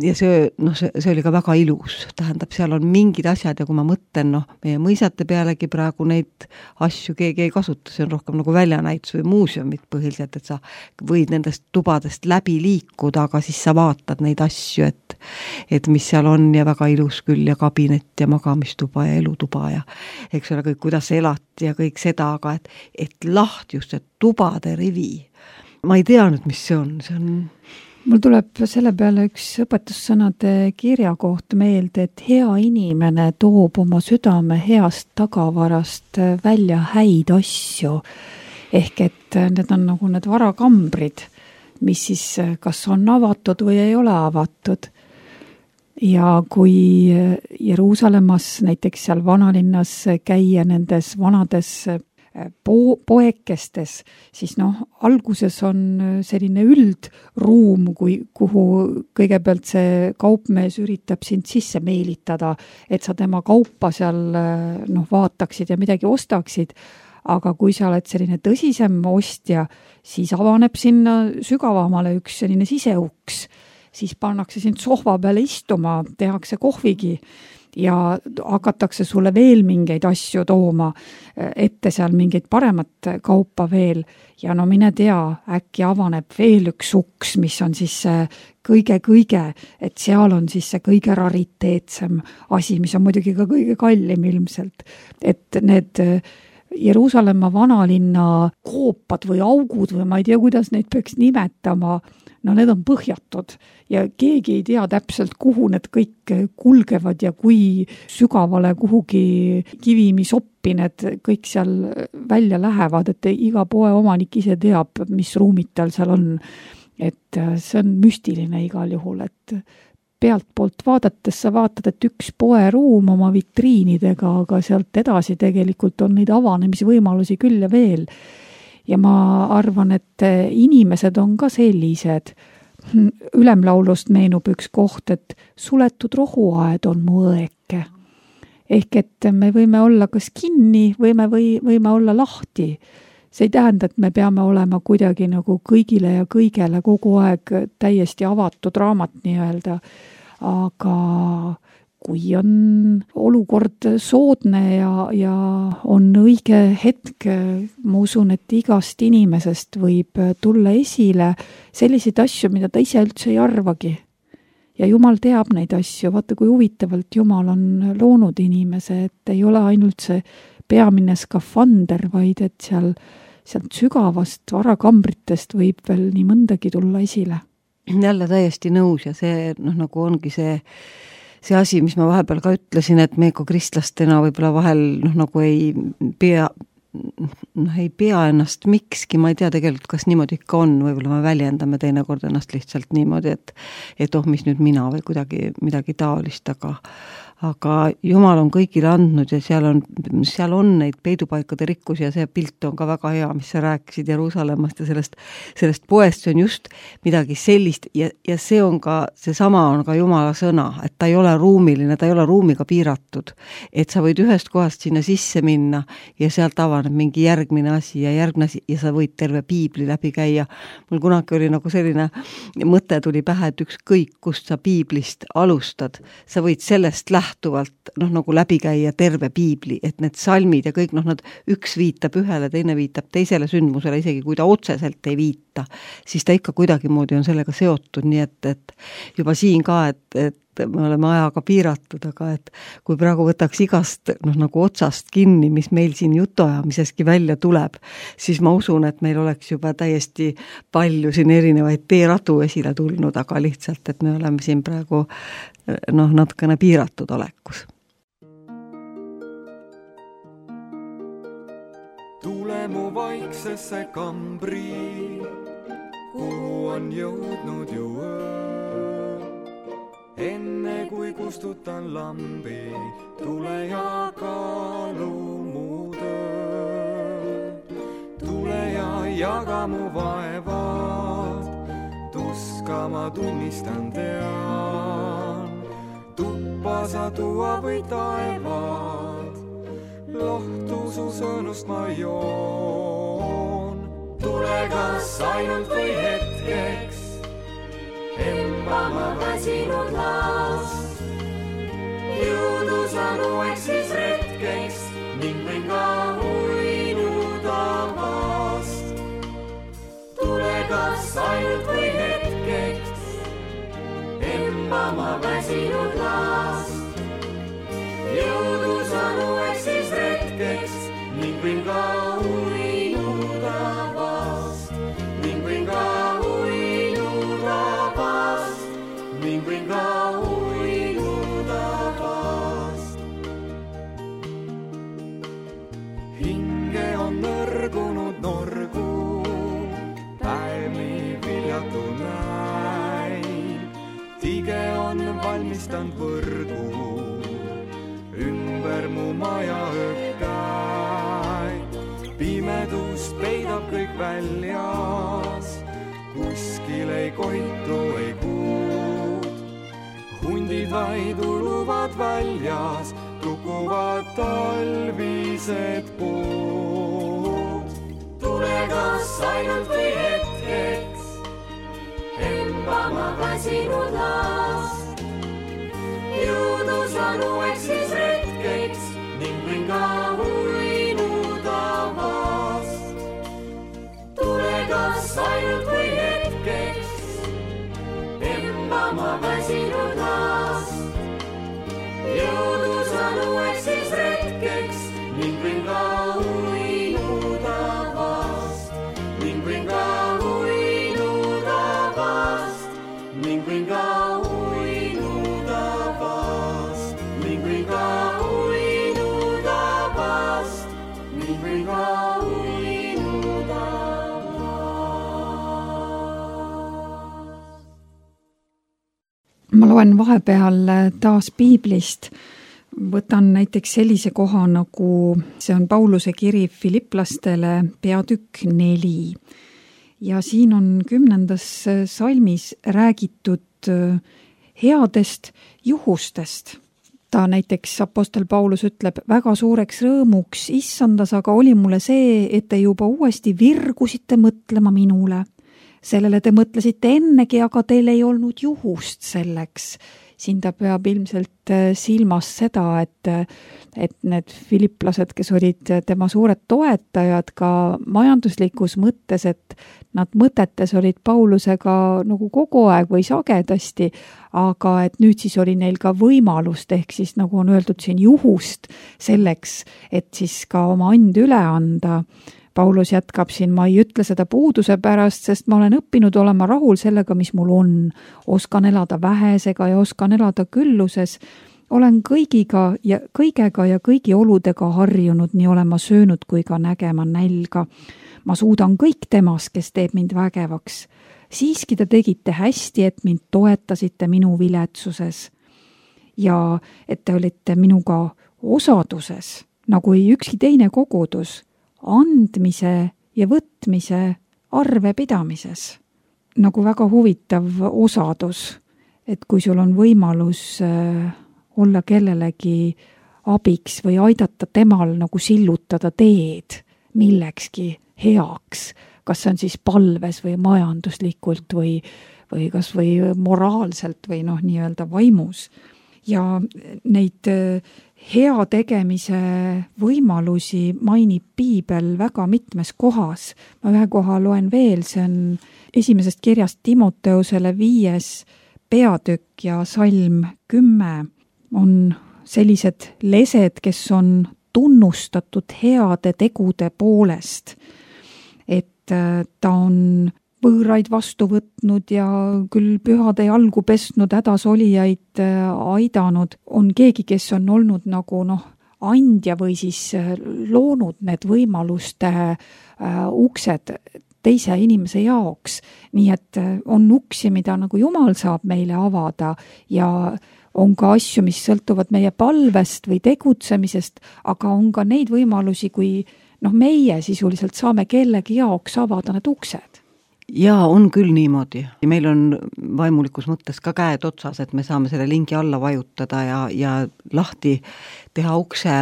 ja see, noh, see, see oli ka väga ilus, tähendab, seal on mingid asjad ja kui ma mõtlen, noh, meie mõisate pealegi praegu neid asju keegi ei kasuta, see on rohkem nagu väljanäitus või muuseumid põhiliselt, et sa võid nendest tubadest läbi liikuda, aga siis sa vaatad neid asju, et, et mis seal on ja väga ilus küll ja kabinet ja magamistuba ja elutuba ja eks ole kõik, kuidas elati ja kõik seda, aga et, et lahti just see tubade rivi. Ma ei tea nüüd, mis see on, see on mul tuleb selle peale üks õpetussõnade kirja koht meelde, et hea inimene toob oma südame heast tagavarast välja häid asju. Ehk et need on nagu need varakambrid, mis siis kas on avatud või ei ole avatud. Ja kui Jeruusalemmas, näiteks seal vanalinnas käia nendes vanades Po- poekestes, siis noh, alguses on selline üldruum, kui, kuhu kõigepealt see kaupmees üritab sind sisse meelitada, et sa tema kaupa seal noh, vaataksid ja midagi ostaksid, aga kui sa oled selline tõsisem ostja, siis avaneb sinna sügavamale üks selline siseuks, siis pannakse sind sohva peale istuma, tehakse kohvigi ja hakatakse sulle veel mingeid asju tooma ette seal mingeid paremat kaupa veel ja no mine tea, äkki avaneb veel üks uks, mis on siis kõige-kõige, et seal on siis see kõige rariteetsem asi, mis on muidugi ka kõige kallim ilmselt, et need Jeruusalemma vanalinna koopad või augud või ma ei tea, kuidas neid peaks nimetama, no need on põhjatud ja keegi ei tea täpselt, kuhu need kõik kulgevad ja kui sügavale kuhugi kivimisoppi need kõik seal välja lähevad, et iga poe omanik ise teab, mis ruumid tal seal on. Et see on müstiline igal juhul, et pealt poolt vaadates sa vaatad, et üks poeruum oma vitriinidega, aga sealt edasi tegelikult on neid avanemisvõimalusi küll ja veel. Ja ma arvan, et inimesed on ka sellised. Ülemlaulust meenub üks koht, et suletud rohuaed on mu õeke. Ehk et me võime olla kas kinni, võime, või, võime olla lahti. See ei tähenda, et me peame olema kuidagi nagu kõigile ja kõigele kogu aeg täiesti avatud raamat nii-öelda. Aga kui on olukord soodne ja, ja on õige hetk, ma usun, et igast inimesest võib tulla esile selliseid asju, mida ta ise üldse ei arvagi. Ja Jumal teab neid asju, vaata kui huvitavalt Jumal on loonud inimese, et ei ole ainult see peamine skafander, vaid et seal, sealt sügavast varakambritest võib veel nii mõndagi tulla esile. Jälle täiesti nõus ja see noh, nagu ongi see see asi, mis ma vahepeal ka ütlesin, et me kui kristlastena võib-olla vahel noh, nagu ei pea, noh, ei pea ennast mikski, ma ei tea tegelikult, kas niimoodi ikka on, võib-olla me väljendame teinekord ennast lihtsalt niimoodi, et, et oh, mis nüüd mina või kuidagi midagi taolist, aga aga Jumal on kõigile andnud ja seal on, seal on neid peidupaikade rikkusi ja see pilt on ka väga hea, mis sa rääkisid Jeruusalemmast ja sellest, sellest poest, see on just midagi sellist ja, ja see on ka, seesama on ka Jumala sõna, et ta ei ole ruumiline, ta ei ole ruumiga piiratud, et sa võid ühest kohast sinna sisse minna ja sealt avaneb mingi järgmine asi ja järgmine asi ja sa võid terve piibli läbi käia. Mul kunagi oli nagu selline mõte tuli pähe, et ükskõik, kust sa piiblist alustad, sa võid sellest lähtuvalt lähtuvalt noh, nagu läbi käia terve piibli, et need salmid ja kõik, noh, nad üks viitab ühele, teine viitab teisele sündmusele, isegi kui ta otseselt ei viita, siis ta ikka kuidagimoodi on sellega seotud, nii et, et juba siin ka, et, et me oleme ajaga piiratud, aga et kui praegu võtaks igast noh, nagu otsast kinni, mis meil siin jutuajamiseski välja tuleb, siis ma usun, et meil oleks juba täiesti palju siin erinevaid teeradu esile tulnud, aga lihtsalt, et me oleme siin praegu noh, natukene piiratud olekus. Tule mu vaiksesse kambri, kuhu on jõudnud ju öö. Enne kui kustutan lambi, tule ja kaalu mu töö. Tule ja jaga mu vaevad, tuska ma tunnistan tean. Tuppa sa tuua või taevad, lohtu su sõnust ma joon. Tule kas ainult või hetkeks, emba ma väsinud last. Jõudu saan uueks siis retkeks, ning võin ka uinuda vast. Tule kas ainult või hetkeks, emba ma väsinud last. Jõudu saan uueks siis retkeks, ning võin ka uinuda vast. Ning võin ka uinuda vast, ning võin ka uinuda vast. Hinge on nõrgunud norgu, päevi viljatu näin. Tige on valmistand võrgu, ümber mu maja ökkäid. Pimedust peidab kõik väljas, kuskil ei koitu, ei kuud. Hundid vaid uluvad väljas, tukuvad talvised puud. Tule kas ainult või hetkeks, emba ma väsinud last. Jõudu saan uueks siis retkeks, ning võin ka uinuda vast. Tule kas ainult või hetkeks, emba ma väsinud last. Jõudu saan uueks siis retkeks, ning võin ka uinuda ma loen vahepeal taas piiblist, võtan näiteks sellise koha nagu, see on Pauluse kiri Filiplastele, peatükk neli. Ja siin on kümnendas salmis räägitud headest juhustest. Ta näiteks apostel Paulus ütleb, väga suureks rõõmuks issandas, aga oli mulle see, et te juba uuesti virgusite mõtlema minule. Sellele te mõtlesite ennegi, aga teil ei olnud juhust selleks. Siin ta peab ilmselt silmas seda, et, et need filiplased, kes olid tema suured toetajad ka majanduslikus mõttes, et nad mõtetes olid Paulusega nagu kogu aeg või sagedasti, aga et nüüd siis oli neil ka võimalust, ehk siis nagu on öeldud siin juhust selleks, et siis ka oma and üle anda. Paulus jätkab siin, ma ei ütle seda puuduse pärast, sest ma olen õppinud olema rahul sellega, mis mul on. Oskan elada vähesega ja oskan elada külluses. Olen kõigiga ja kõigega ja kõigi oludega harjunud, nii olema söönud kui ka nägema nälga. Ma suudan kõik temas, kes teeb mind vägevaks. Siiski te tegite hästi, et mind toetasite minu viletsuses. Ja et te olite minuga osaduses, nagu ei ükski teine kogudus, andmise ja võtmise arve pidamises. Nagu väga huvitav osadus, et kui sul on võimalus olla kellelegi abiks või aidata temal nagu sillutada teed millekski heaks, kas see on siis palves või majanduslikult või, või kas või moraalselt või noh, nii-öelda vaimus. Ja neid hea tegemise võimalusi mainib piibel väga mitmes kohas. Ma ühe koha loen veel, see on esimesest kirjast Timoteusele viies peatükk ja salm kümme on sellised lesed, kes on tunnustatud heade tegude poolest. Et ta on võõraid vastu võtnud ja küll pühade jalgu pesnud, hädas olijaid aidanud, on keegi, kes on olnud nagu noh, andja või siis loonud need võimaluste uh, uksed teise inimese jaoks. Nii et on uksi, mida nagu Jumal saab meile avada ja on ka asju, mis sõltuvad meie palvest või tegutsemisest, aga on ka neid võimalusi, kui noh, meie sisuliselt saame kellegi jaoks avada need uksed. Jaa, on küll niimoodi. Meil on vaimulikus mõttes ka käed otsas, et me saame selle lingi alla vajutada ja, ja lahti teha ukse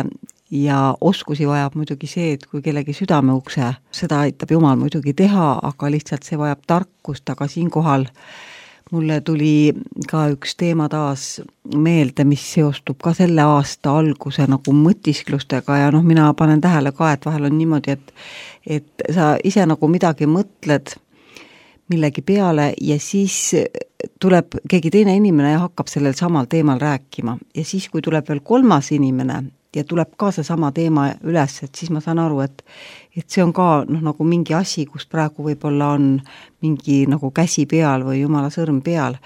ja oskusi vajab muidugi see, et kui kellegi südame ukse, seda aitab Jumal muidugi teha, aga lihtsalt see vajab tarkust, aga siinkohal mulle tuli ka üks teema taas meelde, mis seostub ka selle aasta alguse nagu mõtisklustega ja noh, mina panen tähele ka, et vahel on niimoodi, et, et sa ise nagu midagi mõtled millegi peale ja siis tuleb keegi teine inimene ja hakkab sellel samal teemal rääkima. Ja siis, kui tuleb veel kolmas inimene ja tuleb ka see sama teema üles, et siis ma saan aru, et, et see on ka noh, nagu mingi asi, kus praegu võib-olla on mingi nagu käsi peal või Jumala sõrm peal.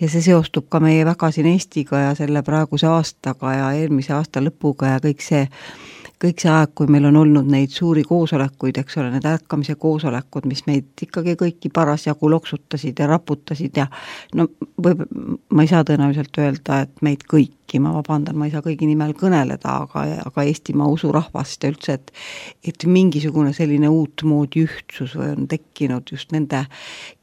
Ja see seostub ka meie väga siin Eestiga ja selle praeguse aastaga ja eelmise aasta lõpuga ja kõik see kõik see aeg, kui meil on olnud neid suuri koosolekuid, eks ole, need ärkamise koosolekud, mis meid ikkagi kõiki parasjagu loksutasid ja raputasid ja no võib, ma ei saa tõenäoliselt öelda, et meid kõiki, ma vabandan, ma ei saa kõigi nimel kõneleda, aga, aga Eestimaa usurahvast ja üldse, et, et mingisugune selline uut moodi ühtsus või on tekkinud just nende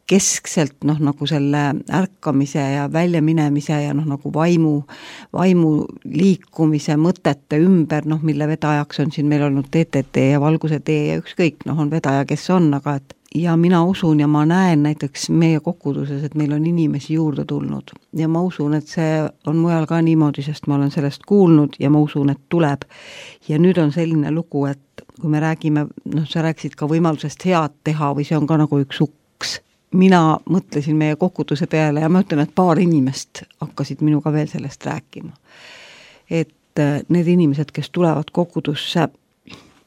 keskselt noh, nagu selle ärkamise ja väljaminemise ja noh, nagu vaimu, vaimu liikumise mõtete ümber, noh, mille vedajaks on siin meil olnud T T T ja Valguse tee ja ükskõik, noh, on vedaja, kes on, aga et ja mina usun ja ma näen näiteks meie koguduses, et meil on inimesi juurde tulnud ja ma usun, et see on mujal ka niimoodi, sest ma olen sellest kuulnud ja ma usun, et tuleb. Ja nüüd on selline lugu, et kui me räägime, noh, sa rääkisid ka võimalusest head teha või see on ka nagu üks uks. Mina mõtlesin meie koguduse peale ja ma ütlen, et paar inimest hakkasid minuga veel sellest rääkima. Et need inimesed, kes tulevad kogudusse,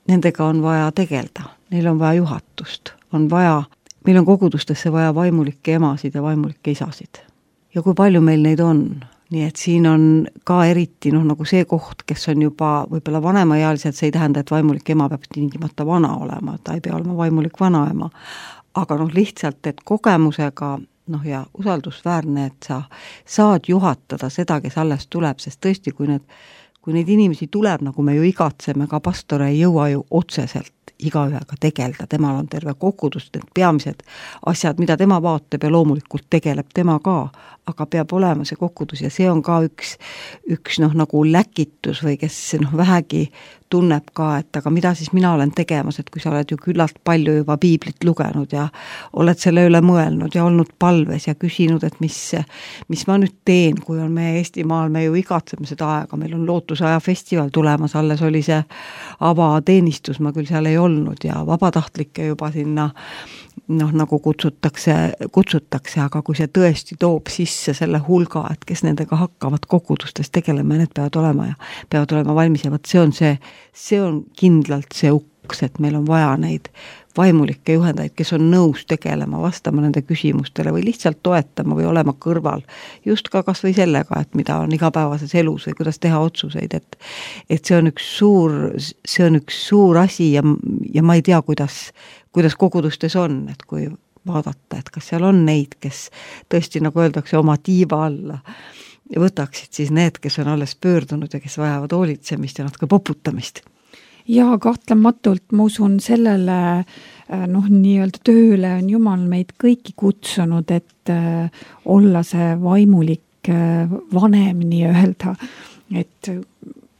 nendega on vaja tegelda, neil on vaja juhatust, on vaja, meil on kogudustesse vaja vaimulikke emasid ja vaimulikke isasid. Ja kui palju meil neid on, nii et siin on ka eriti noh, nagu see koht, kes on juba võib-olla vanemaealised, see ei tähenda, et vaimulik ema peab tingimata vana olema, ta ei pea olema vaimulik vanaema. Aga noh, lihtsalt, et kogemusega noh ja usaldusväärne, et sa saad juhatada seda, kes alles tuleb, sest tõesti, kui need kui neid inimesi tuleb, nagu me ju igatseme, ka pastor ei jõua ju otseselt igaühega tegelda, temal on terve kogudus, need peamised asjad, mida tema vaatab ja loomulikult tegeleb tema ka, aga peab olema see kogudus ja see on ka üks, üks noh, nagu läkitus või kes noh, vähegi tunneb ka, et aga mida siis mina olen tegemas, et kui sa oled ju küllalt palju juba piiblit lugenud ja oled selle üle mõelnud ja olnud palves ja küsinud, et mis, mis ma nüüd teen, kui on meie Eestimaal, me ju igatseme seda aega, meil on Lootusaja festival tulemas, alles oli see avateenistus, ma küll seal ei olnud ja vabatahtlikke juba sinna noh, nagu kutsutakse, kutsutakse, aga kui see tõesti toob sisse selle hulga, et kes nendega hakkavad kogudustes tegelema ja need peavad olema ja peavad olema valmis ja võt see on see see on kindlalt see uks, et meil on vaja neid vaimulikke juhendajaid, kes on nõus tegelema, vastama nende küsimustele või lihtsalt toetama või olema kõrval. Just ka kas või sellega, et mida on igapäevases elus või kuidas teha otsuseid, et, et see on üks suur, see on üks suur asi ja, ja ma ei tea, kuidas, kuidas kogudustes on, et kui vaadata, et kas seal on neid, kes tõesti, nagu öeldakse, oma tiiva alla ja võtaksid siis need, kes on alles pöördunud ja kes vajavad hoolitsemist ja natuke poputamist. Ja kahtlematult ma usun sellele noh, nii-öelda tööle on Jumal meid kõiki kutsunud, et olla see vaimulik vanem nii-öelda, et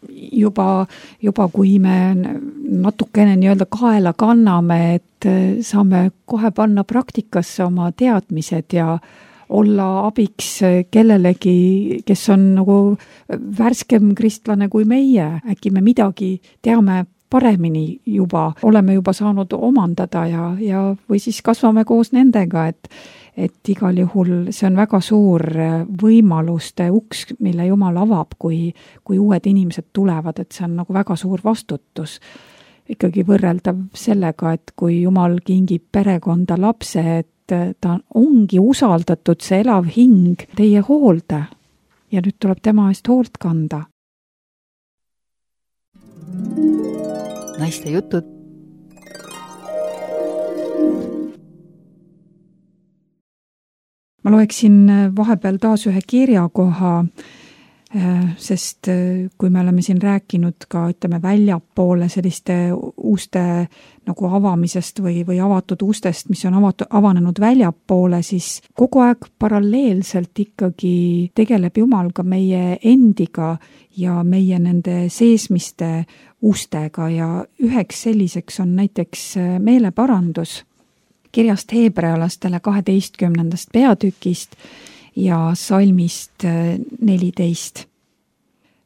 juba, juba kui me natukene nii-öelda kaela kanname, et saame kohe panna praktikasse oma teadmised ja olla abiks kellelegi, kes on nagu värskem kristlane kui meie. Äkki me midagi teame paremini juba, oleme juba saanud omandada ja, ja või siis kasvame koos nendega, et, et igal juhul see on väga suur võimaluste uks, mille Jumal avab, kui, kui uued inimesed tulevad, et see on nagu väga suur vastutus. Ikkagi võrreldav sellega, et kui Jumal kingib perekonda lapse, et ta ongi usaldatud see elav hing teie hoolde ja nüüd tuleb tema eest hoolt kanda. Naiste jutud. Ma loeksin vahepeal taas ühe kirjakoha, sest kui me oleme siin rääkinud ka, ütleme, väljapoole selliste uste nagu avamisest või, või avatud ustest, mis on avatud, avanenud väljapoole, siis kogu aeg paralleelselt ikkagi tegeleb Jumal ka meie endiga ja meie nende seesmiste ustega ja üheks selliseks on näiteks meeleparandus kirjast heebrealastele kaheteistkümnendast peatükist ja salmist neliteist.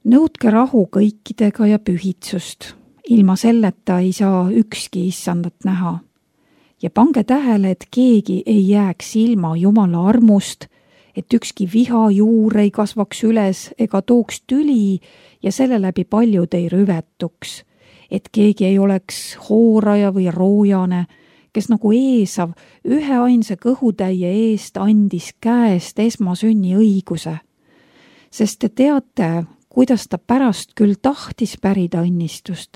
Nõudke rahu kõikidega ja pühitsust. Ilma selleta ei saa ükski issandat näha. Ja pange tähele, et keegi ei jääks ilma Jumala armust, et ükski viha juur ei kasvaks üles ega tooks tüli ja selle läbi paljud ei rüvetuks. Et keegi ei oleks hooraja või roojane, kes nagu Eesav ühe ainsa kõhutäie eest andis käest esmasünni õiguse. Sest te teate, kuidas ta pärast küll tahtis pärida õnnistust,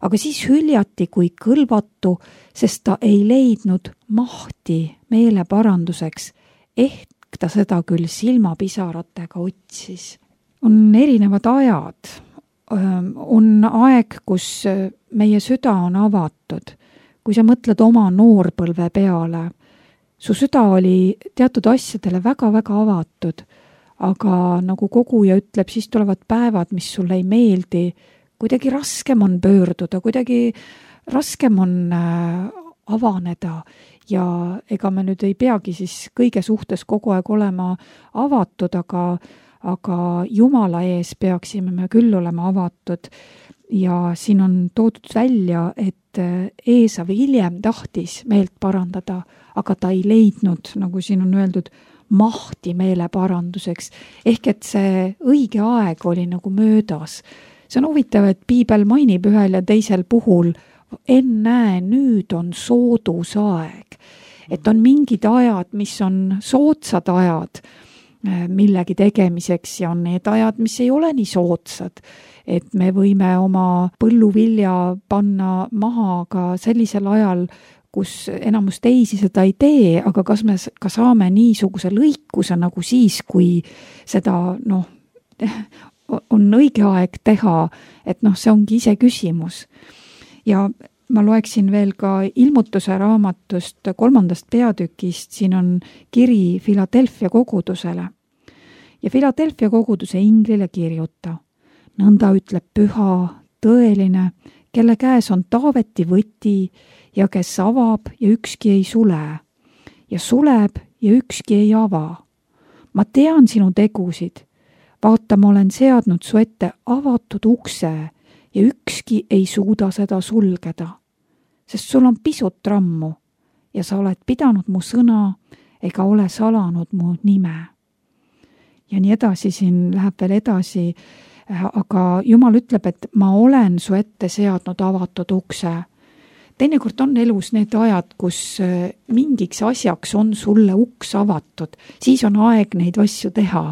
aga siis hüljati kui kõlvatu, sest ta ei leidnud mahti meeleparanduseks, ehk ta seda küll silmapisaratega otsis. On erinevad ajad, on aeg, kus meie süda on avatud. Kui sa mõtled oma noorpõlve peale, su süda oli teatud asjadele väga-väga avatud, aga nagu koguja ütleb, siis tulevad päevad, mis sulle ei meeldi, kuidagi raskem on pöörduda, kuidagi raskem on avaneda ja ega me nüüd ei peagi siis kõige suhtes kogu aeg olema avatud, aga, aga Jumala ees peaksime me küll olema avatud. Ja siin on toodud välja, et Eesav hiljem tahtis meelt parandada, aga ta ei leidnud, nagu siin on öeldud, mahti meeleparanduseks. Ehk et see õige aeg oli nagu möödas. See on huvitav, et piibel mainib ühel ja teisel puhul, ennäe, nüüd on soodus aeg. Et on mingid ajad, mis on soodsad ajad millegi tegemiseks ja on need ajad, mis ei ole nii soodsad. Et me võime oma põlluvilja panna maha ka sellisel ajal, kus enamus teisi seda ei tee, aga kas me ka saame niisuguse lõikuse nagu siis, kui seda noh, on õige aeg teha, et noh, see ongi ise küsimus. Ja ma loeksin veel ka ilmutuse raamatust kolmandast peatükist, siin on kiri Philadelphia kogudusele. Ja Philadelphia koguduse inglile kirjuta, nõnda ütleb püha, tõeline, kelle käes on Taaveti võti ja kes avab ja ükski ei sule ja suleb ja ükski ei ava. Ma tean sinu tegusid, vaata, ma olen seadnud su ette avatud ukse ja ükski ei suuda seda sulgeda, sest sul on pisut rammu ja sa oled pidanud mu sõna ega ole salanud mu nime. Ja nii edasi, siin läheb veel edasi, aga Jumal ütleb, et ma olen su ette seadnud avatud ukse. Teinekord on elus need ajad, kus mingiks asjaks on sulle uks avatud, siis on aeg neid asju teha.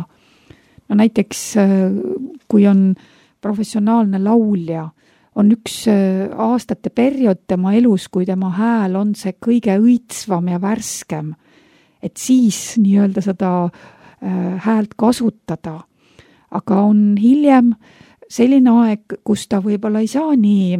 No näiteks, kui on professionaalne laulja, on üks aastate periood tema elus, kui tema hääl on see kõige õitsvam ja värskem, et siis nii-öelda seda häält kasutada. Aga on hiljem selline aeg, kus ta võib-olla ei saa nii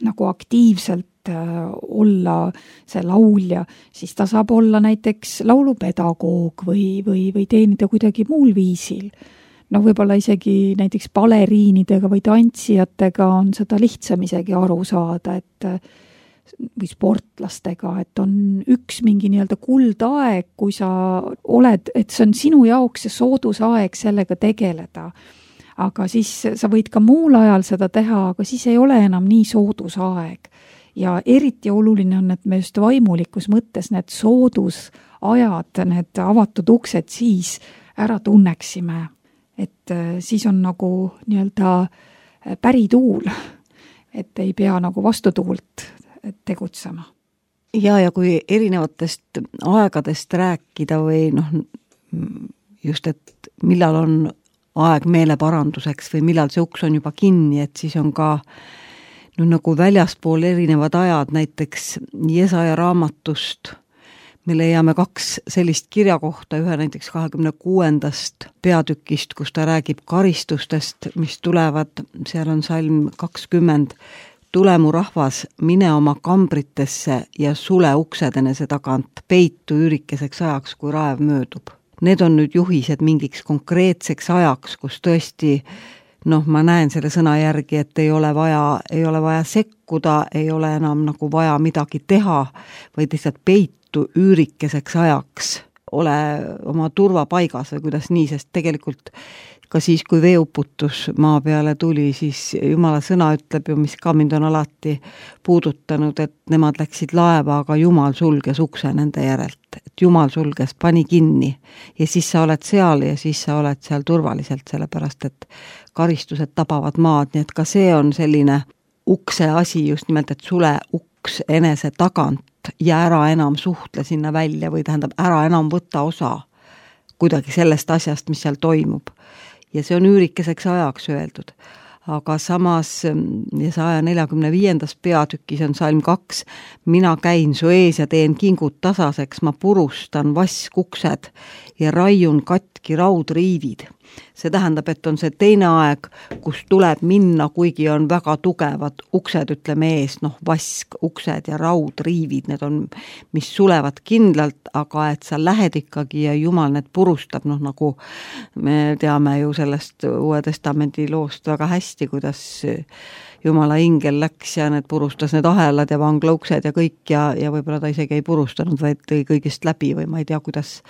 nagu aktiivselt olla see laulja, siis ta saab olla näiteks laulupedagoog või, või, või teenida kuidagi muul viisil. No võib-olla isegi näiteks baleriinidega või tantsijatega on seda lihtsam isegi aru saada, et või sportlastega, et on üks mingi nii-öelda kuldaeg, kui sa oled, et see on sinu jaoks see soodus aeg sellega tegeleda. Aga siis sa võid ka muul ajal seda teha, aga siis ei ole enam nii soodus aeg. Ja eriti oluline on, et me just vaimulikus mõttes need soodusajad, need avatud uksed siis ära tunneksime. Et siis on nagu nii-öelda pärituul, et ei pea nagu vastutuult tegutsema. Ja, ja kui erinevatest aegadest rääkida või noh, just, et millal on aeg meeleparanduseks või millal see uks on juba kinni, et siis on ka no, nagu väljaspool erinevad ajad, näiteks Jesaja raamatust me leiame kaks sellist kirjakohta, ühe näiteks kahekümne kuuendast peatükist, kus ta räägib karistustest, mis tulevad, seal on salm kakskümmend, tule mu rahvas, mine oma kambritesse ja sule uksed enese tagant, peitu üürikeseks ajaks, kui raev möödub. Need on nüüd juhised mingiks konkreetseks ajaks, kus tõesti, noh, ma näen selle sõna järgi, et ei ole vaja, ei ole vaja sekkuda, ei ole enam nagu vaja midagi teha, vaid lihtsalt peitu üürikeseks ajaks, ole oma turvapaigas või kuidas nii, sest tegelikult ka siis, kui veeuputus maa peale tuli, siis Jumala sõna ütleb ju, mis ka mind on alati puudutanud, et nemad läksid laeva, aga Jumal sulges ukse nende järelt. Et Jumal sulges, pani kinni ja siis sa oled seal ja siis sa oled seal turvaliselt, sellepärast et karistused tabavad maad, nii et ka see on selline ukse asi just nimelt, et sule uks enese tagant ja ära enam suhtle sinna välja või tähendab, ära enam võtta osa kuidagi sellest asjast, mis seal toimub. Ja see on üürikeseks ajaks öeldud. Aga samas saja neljakümne viiendas peatükis on salm kaks, mina käin su ees ja teen kingud tasaseks, ma purustan vaskuksed ja raiun katki raudriivid. See tähendab, et on see teine aeg, kus tuleb minna, kuigi on väga tugevad uksed, ütleme ees, noh, vask, uksed ja raudriivid, need on, mis sulevad kindlalt, aga et sa lähed ikkagi ja Jumal need purustab, noh, nagu me teame ju sellest Uue Testamendi loost väga hästi, kuidas Jumala ingel läks ja need purustas need ahelad ja vanglauksed ja kõik ja, ja võib-olla ta isegi ei purustanud, vaid tõi kõigist läbi või ma ei tea, kuidas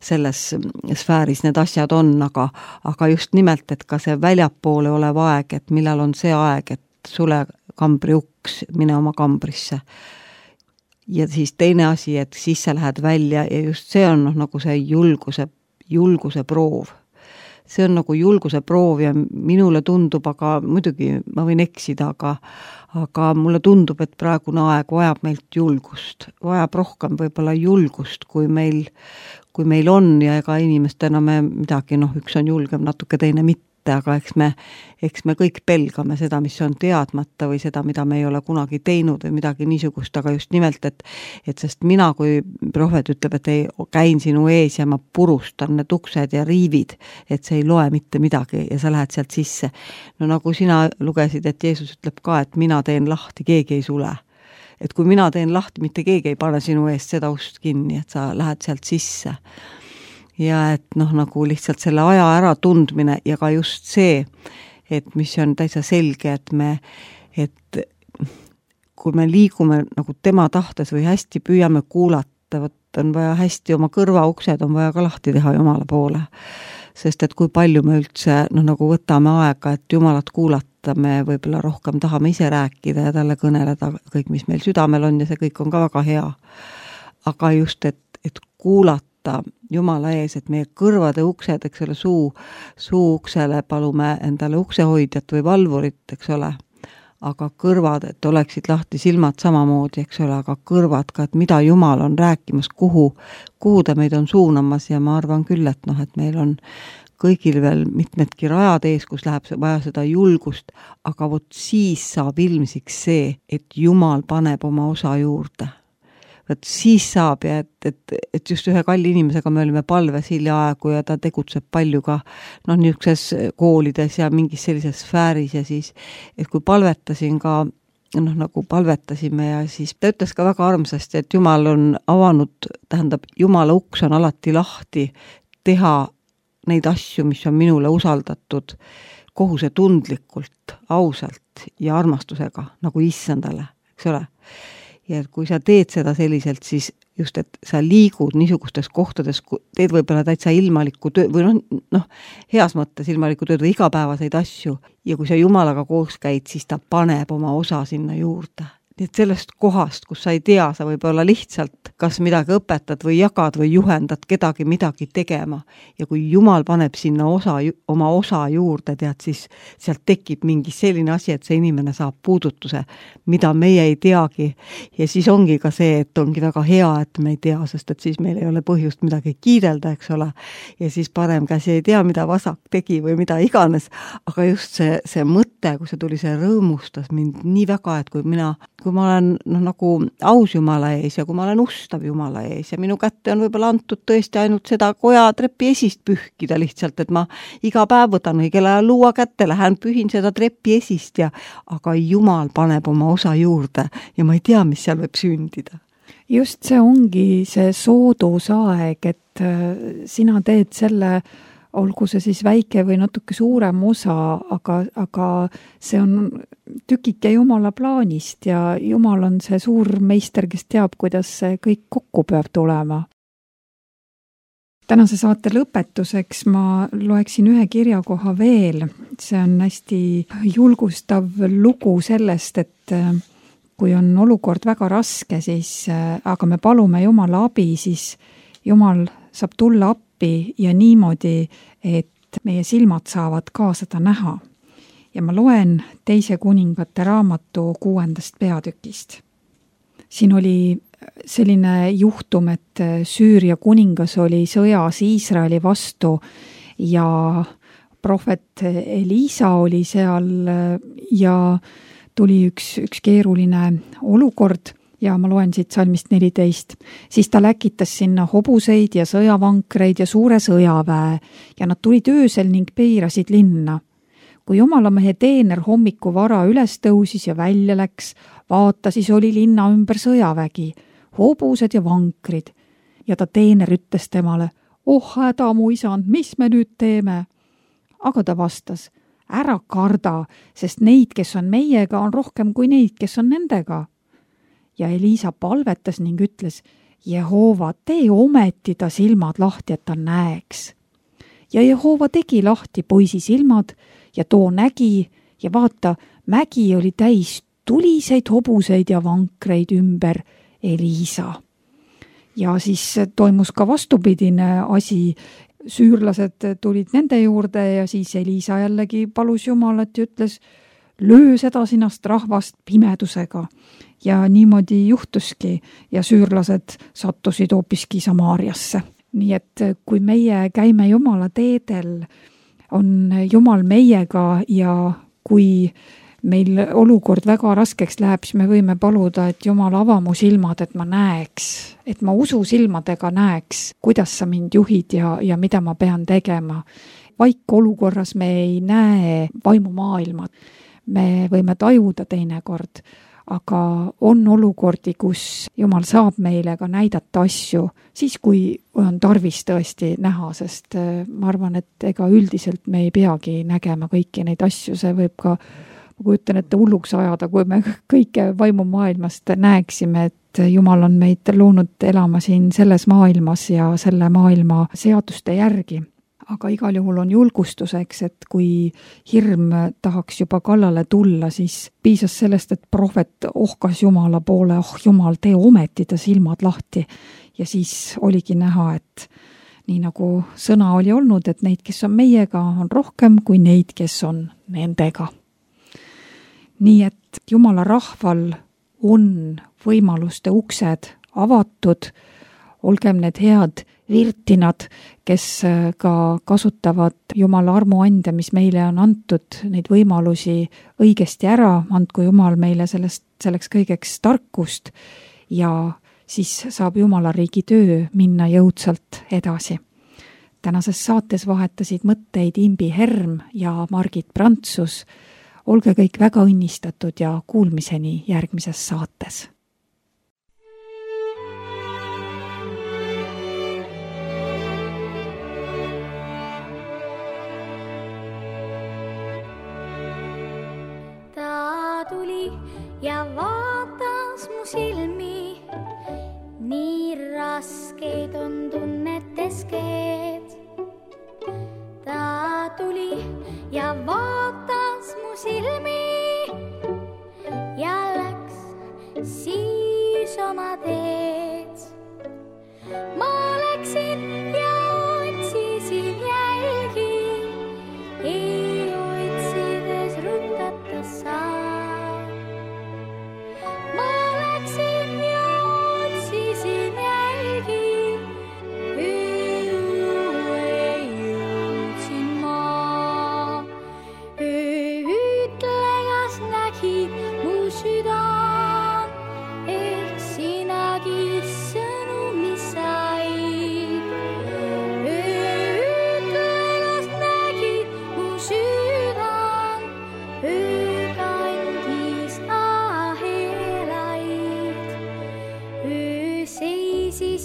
selles sfääris need asjad on, aga, aga just nimelt, et ka see väljapoole olev aeg, et millal on see aeg, et sule kambri uks, mine oma kambrisse. Ja siis teine asi, et siis sa lähed välja ja just see on noh, nagu see julguse, julguse proov. See on nagu julguse proov ja minule tundub, aga muidugi ma võin eksida, aga, aga mulle tundub, et praegune aeg vajab meilt julgust, vajab rohkem võib-olla julgust, kui meil, kui meil on ja ega inimestena me midagi, noh, üks on julgem, natuke teine mitte, kätte, aga eks me, eks me kõik pelgame seda, mis on teadmata või seda, mida me ei ole kunagi teinud või midagi niisugust, aga just nimelt, et, et sest mina, kui prohvet ütleb, et ei, käin sinu ees ja ma purustan need uksed ja riivid, et see ei loe mitte midagi ja sa lähed sealt sisse. No nagu sina lugesid, et Jeesus ütleb ka, et mina teen lahti, keegi ei sule. Et kui mina teen lahti, mitte keegi ei pane sinu eest seda ust kinni, et sa lähed sealt sisse. Ja et noh, nagu lihtsalt selle aja ära tundmine ja ka just see, et mis on täitsa selge, et me, et kui me liigume nagu tema tahtes või hästi püüame kuulata, võt on vaja hästi oma kõrvauksed on vaja ka lahti teha Jumala poole. Sest et kui palju me üldse noh, nagu võtame aega, et Jumalat kuulata, me võib-olla rohkem tahame ise rääkida ja talle kõneleda kõik, mis meil südamel on ja see kõik on ka väga hea. Aga just, et, et kuulata Jumala ees, et meie kõrvade uksed, eks ole, suu, suu uksele palume endale uksehoidjat või valvurit, eks ole, aga kõrvad, et oleksid lahti silmad samamoodi, eks ole, aga kõrvad ka, et mida Jumal on rääkimas, kuhu, kuhu ta meid on suunamas ja ma arvan küll, et noh, et meil on kõigil veel mitmedki rajad ees, kus läheb vaja seda julgust, aga vot siis saab ilmsiks see, et Jumal paneb oma osa juurde. Võt siis saab ja et, et, et just ühe kalli inimesega me olime palves hiljaaegu ja ta tegutseb palju ka noh, niisuguses koolides ja mingis sellises sfääris ja siis, et kui palvetasin ka, noh nagu palvetasime ja siis ta ütles ka väga armsasti, et Jumal on avanud, tähendab, Jumala uks on alati lahti teha neid asju, mis on minule usaldatud kohusetundlikult, ausalt ja armastusega, nagu issandale, eks ole. Ja kui sa teed seda selliselt, siis just, et sa liigud niisugustes kohtades, teed võib-olla täitsa ilmalikku tööd või noh, noh, heas mõttes ilmalikku tööd või igapäevaseid asju ja kui sa Jumalaga koos käid, siis ta paneb oma osa sinna juurde. Nii et sellest kohast, kus sa ei tea, sa võib olla lihtsalt kas midagi õpetad või jagad või juhendad kedagi midagi tegema ja kui Jumal paneb sinna osa, oma osa juurde, tead, siis sealt tekib mingi selline asi, et see inimene saab puudutuse, mida meie ei teagi ja siis ongi ka see, et ongi väga hea, et me ei tea, sest et siis meil ei ole põhjust midagi kiidelda, eks ole, ja siis parem käsi ei tea, mida vasak tegi või mida iganes, aga just see, see mõte, kui see tuli, see rõõmustas mind nii väga, et kui mina kui ma olen noh, nagu aus Jumala ees ja kui ma olen ustav Jumala ees ja minu kätte on võib-olla antud tõesti ainult seda koja trepi esist pühkida lihtsalt, et ma iga päev võtan õigel ajal luua kätte, lähen pühin seda trepi esist ja aga Jumal paneb oma osa juurde ja ma ei tea, mis seal võib sündida. Just see ongi see soodusaeg, et sina teed selle olgu see siis väike või natuke suurem osa, aga, aga see on tükike Jumala plaanist ja Jumal on see suur meister, kes teab, kuidas see kõik kokku peab tulema. Tänase saate lõpetuseks ma loeksin ühe kirjakoha veel. See on hästi julgustav lugu sellest, et kui on olukord väga raske, siis, aga me palume Jumala abi, siis Jumal saab tulla appi ja niimoodi, et meie silmad saavad ka seda näha. Ja ma loen teise kuningate raamatu kuuendast peatükist. Siin oli selline juhtum, et Süüria kuningas oli sõjas Iisraeli vastu ja prohvet Eliisa oli seal ja tuli üks, üks keeruline olukord. Ja ma loen siit salmist neliteist. Siis ta läkitas sinna hobuseid ja sõjavankreid ja suure sõjaväe ja nad tulid öösel ning peirasid linna. Kui jumalamehe teener hommiku vara üles tõusis ja välja läks, vaata, siis oli linna ümber sõjavägi, hobused ja vankrid. Ja ta teener ütles temale, oh häda mu isand, mis me nüüd teeme? Aga ta vastas, ära karda, sest neid, kes on meiega, on rohkem kui neid, kes on nendega. Ja Eliisa palvetas ning ütles, Jehova, tee ometi ta silmad lahti, et ta näeks. Ja Jehova tegi lahti poisi silmad ja too nägi ja vaata, mägi oli täis tuliseid hobuseid ja vankreid ümber Eliisa. Ja siis toimus ka vastupidine asi. Süürlased tulid nende juurde ja siis Eliisa jällegi palus Jumalat ja ütles, löö seda sinast rahvast pimedusega. Ja niimoodi juhtuski ja süürlased sattusid hoopiski Samaariasse. Nii et kui meie käime Jumala teedel, on Jumal meiega ja kui meil olukord väga raskeks läheb, siis me võime paluda, et Jumal ava mu silmad, et ma näeks, et ma usu silmadega näeks, kuidas sa mind juhid ja, ja mida ma pean tegema. Vaik olukorras me ei näe vaimumaailma. Me võime tajuda teinekord, aga on olukordi, kus Jumal saab meile ka näidata asju, siis kui on tarvis tõesti näha, sest ma arvan, et ega üldiselt me ei peagi nägema kõiki neid asju, see võib ka ma kujutan, et hulluks ajada, kui me kõike vaimumaailmast näeksime, et Jumal on meid loonud elama siin selles maailmas ja selle maailma seaduste järgi. Aga igal juhul on julgustuseks, et kui hirm tahaks juba kallale tulla, siis piisas sellest, et prohvet ohkas Jumala poole, oh Jumal, tee ometi ta silmad lahti. Ja siis oligi näha, et nii nagu sõna oli olnud, et neid, kes on meiega, on rohkem kui neid, kes on nendega. Nii et Jumala rahval on võimaluste uksed avatud, olgem need head virtinad, kes ka kasutavad Jumala armuande, mis meile on antud, neid võimalusi õigesti ära, andku Jumal meile sellest, selleks kõigeks tarkust ja siis saab Jumala riigi töö minna jõudsalt edasi. Tänases saates vahetasid mõtteid Imbi Herm ja Margit Prantsus. Olge kõik väga õnnistatud ja kuulmiseni järgmises saates. Ta tuli ja vaatas mu silmi, nii raskeid on tunnetes keed. Ta tuli ja vaatas mu silmi ja läks siis oma teed. Ma läksin ja otsisin jälgi, ei otsides rutatas saan. Ma läksin ja otsisin jälgi,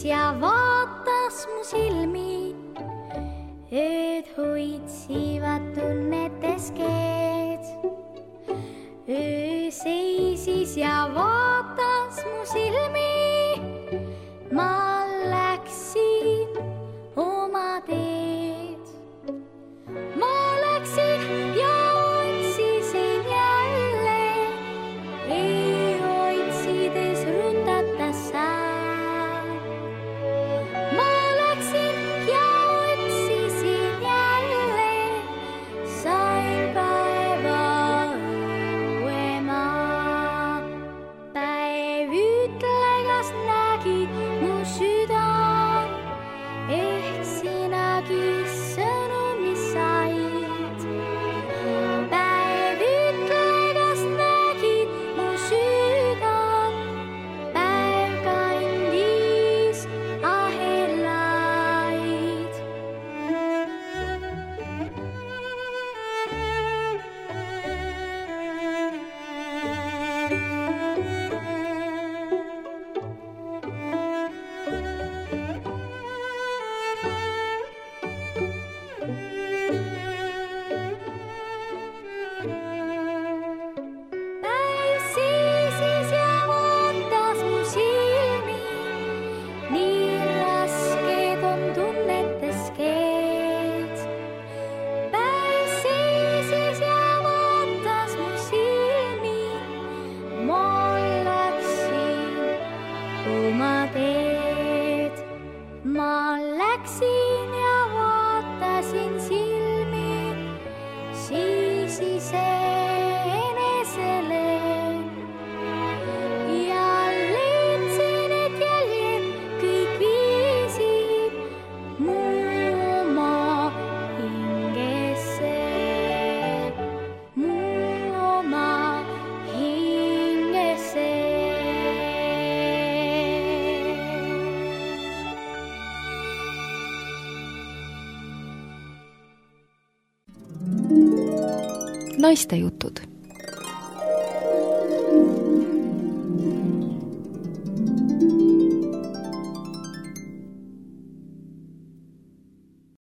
ja vaatas mu silmi, ööd hoitsivad tunnetes keed. Öö seisis ja vaatas mu silmi, ma läksin oma teed. Ma läksin ja otsisin jälle, ei otsides rundatas saan. Mu oma hingesse Naistejutud.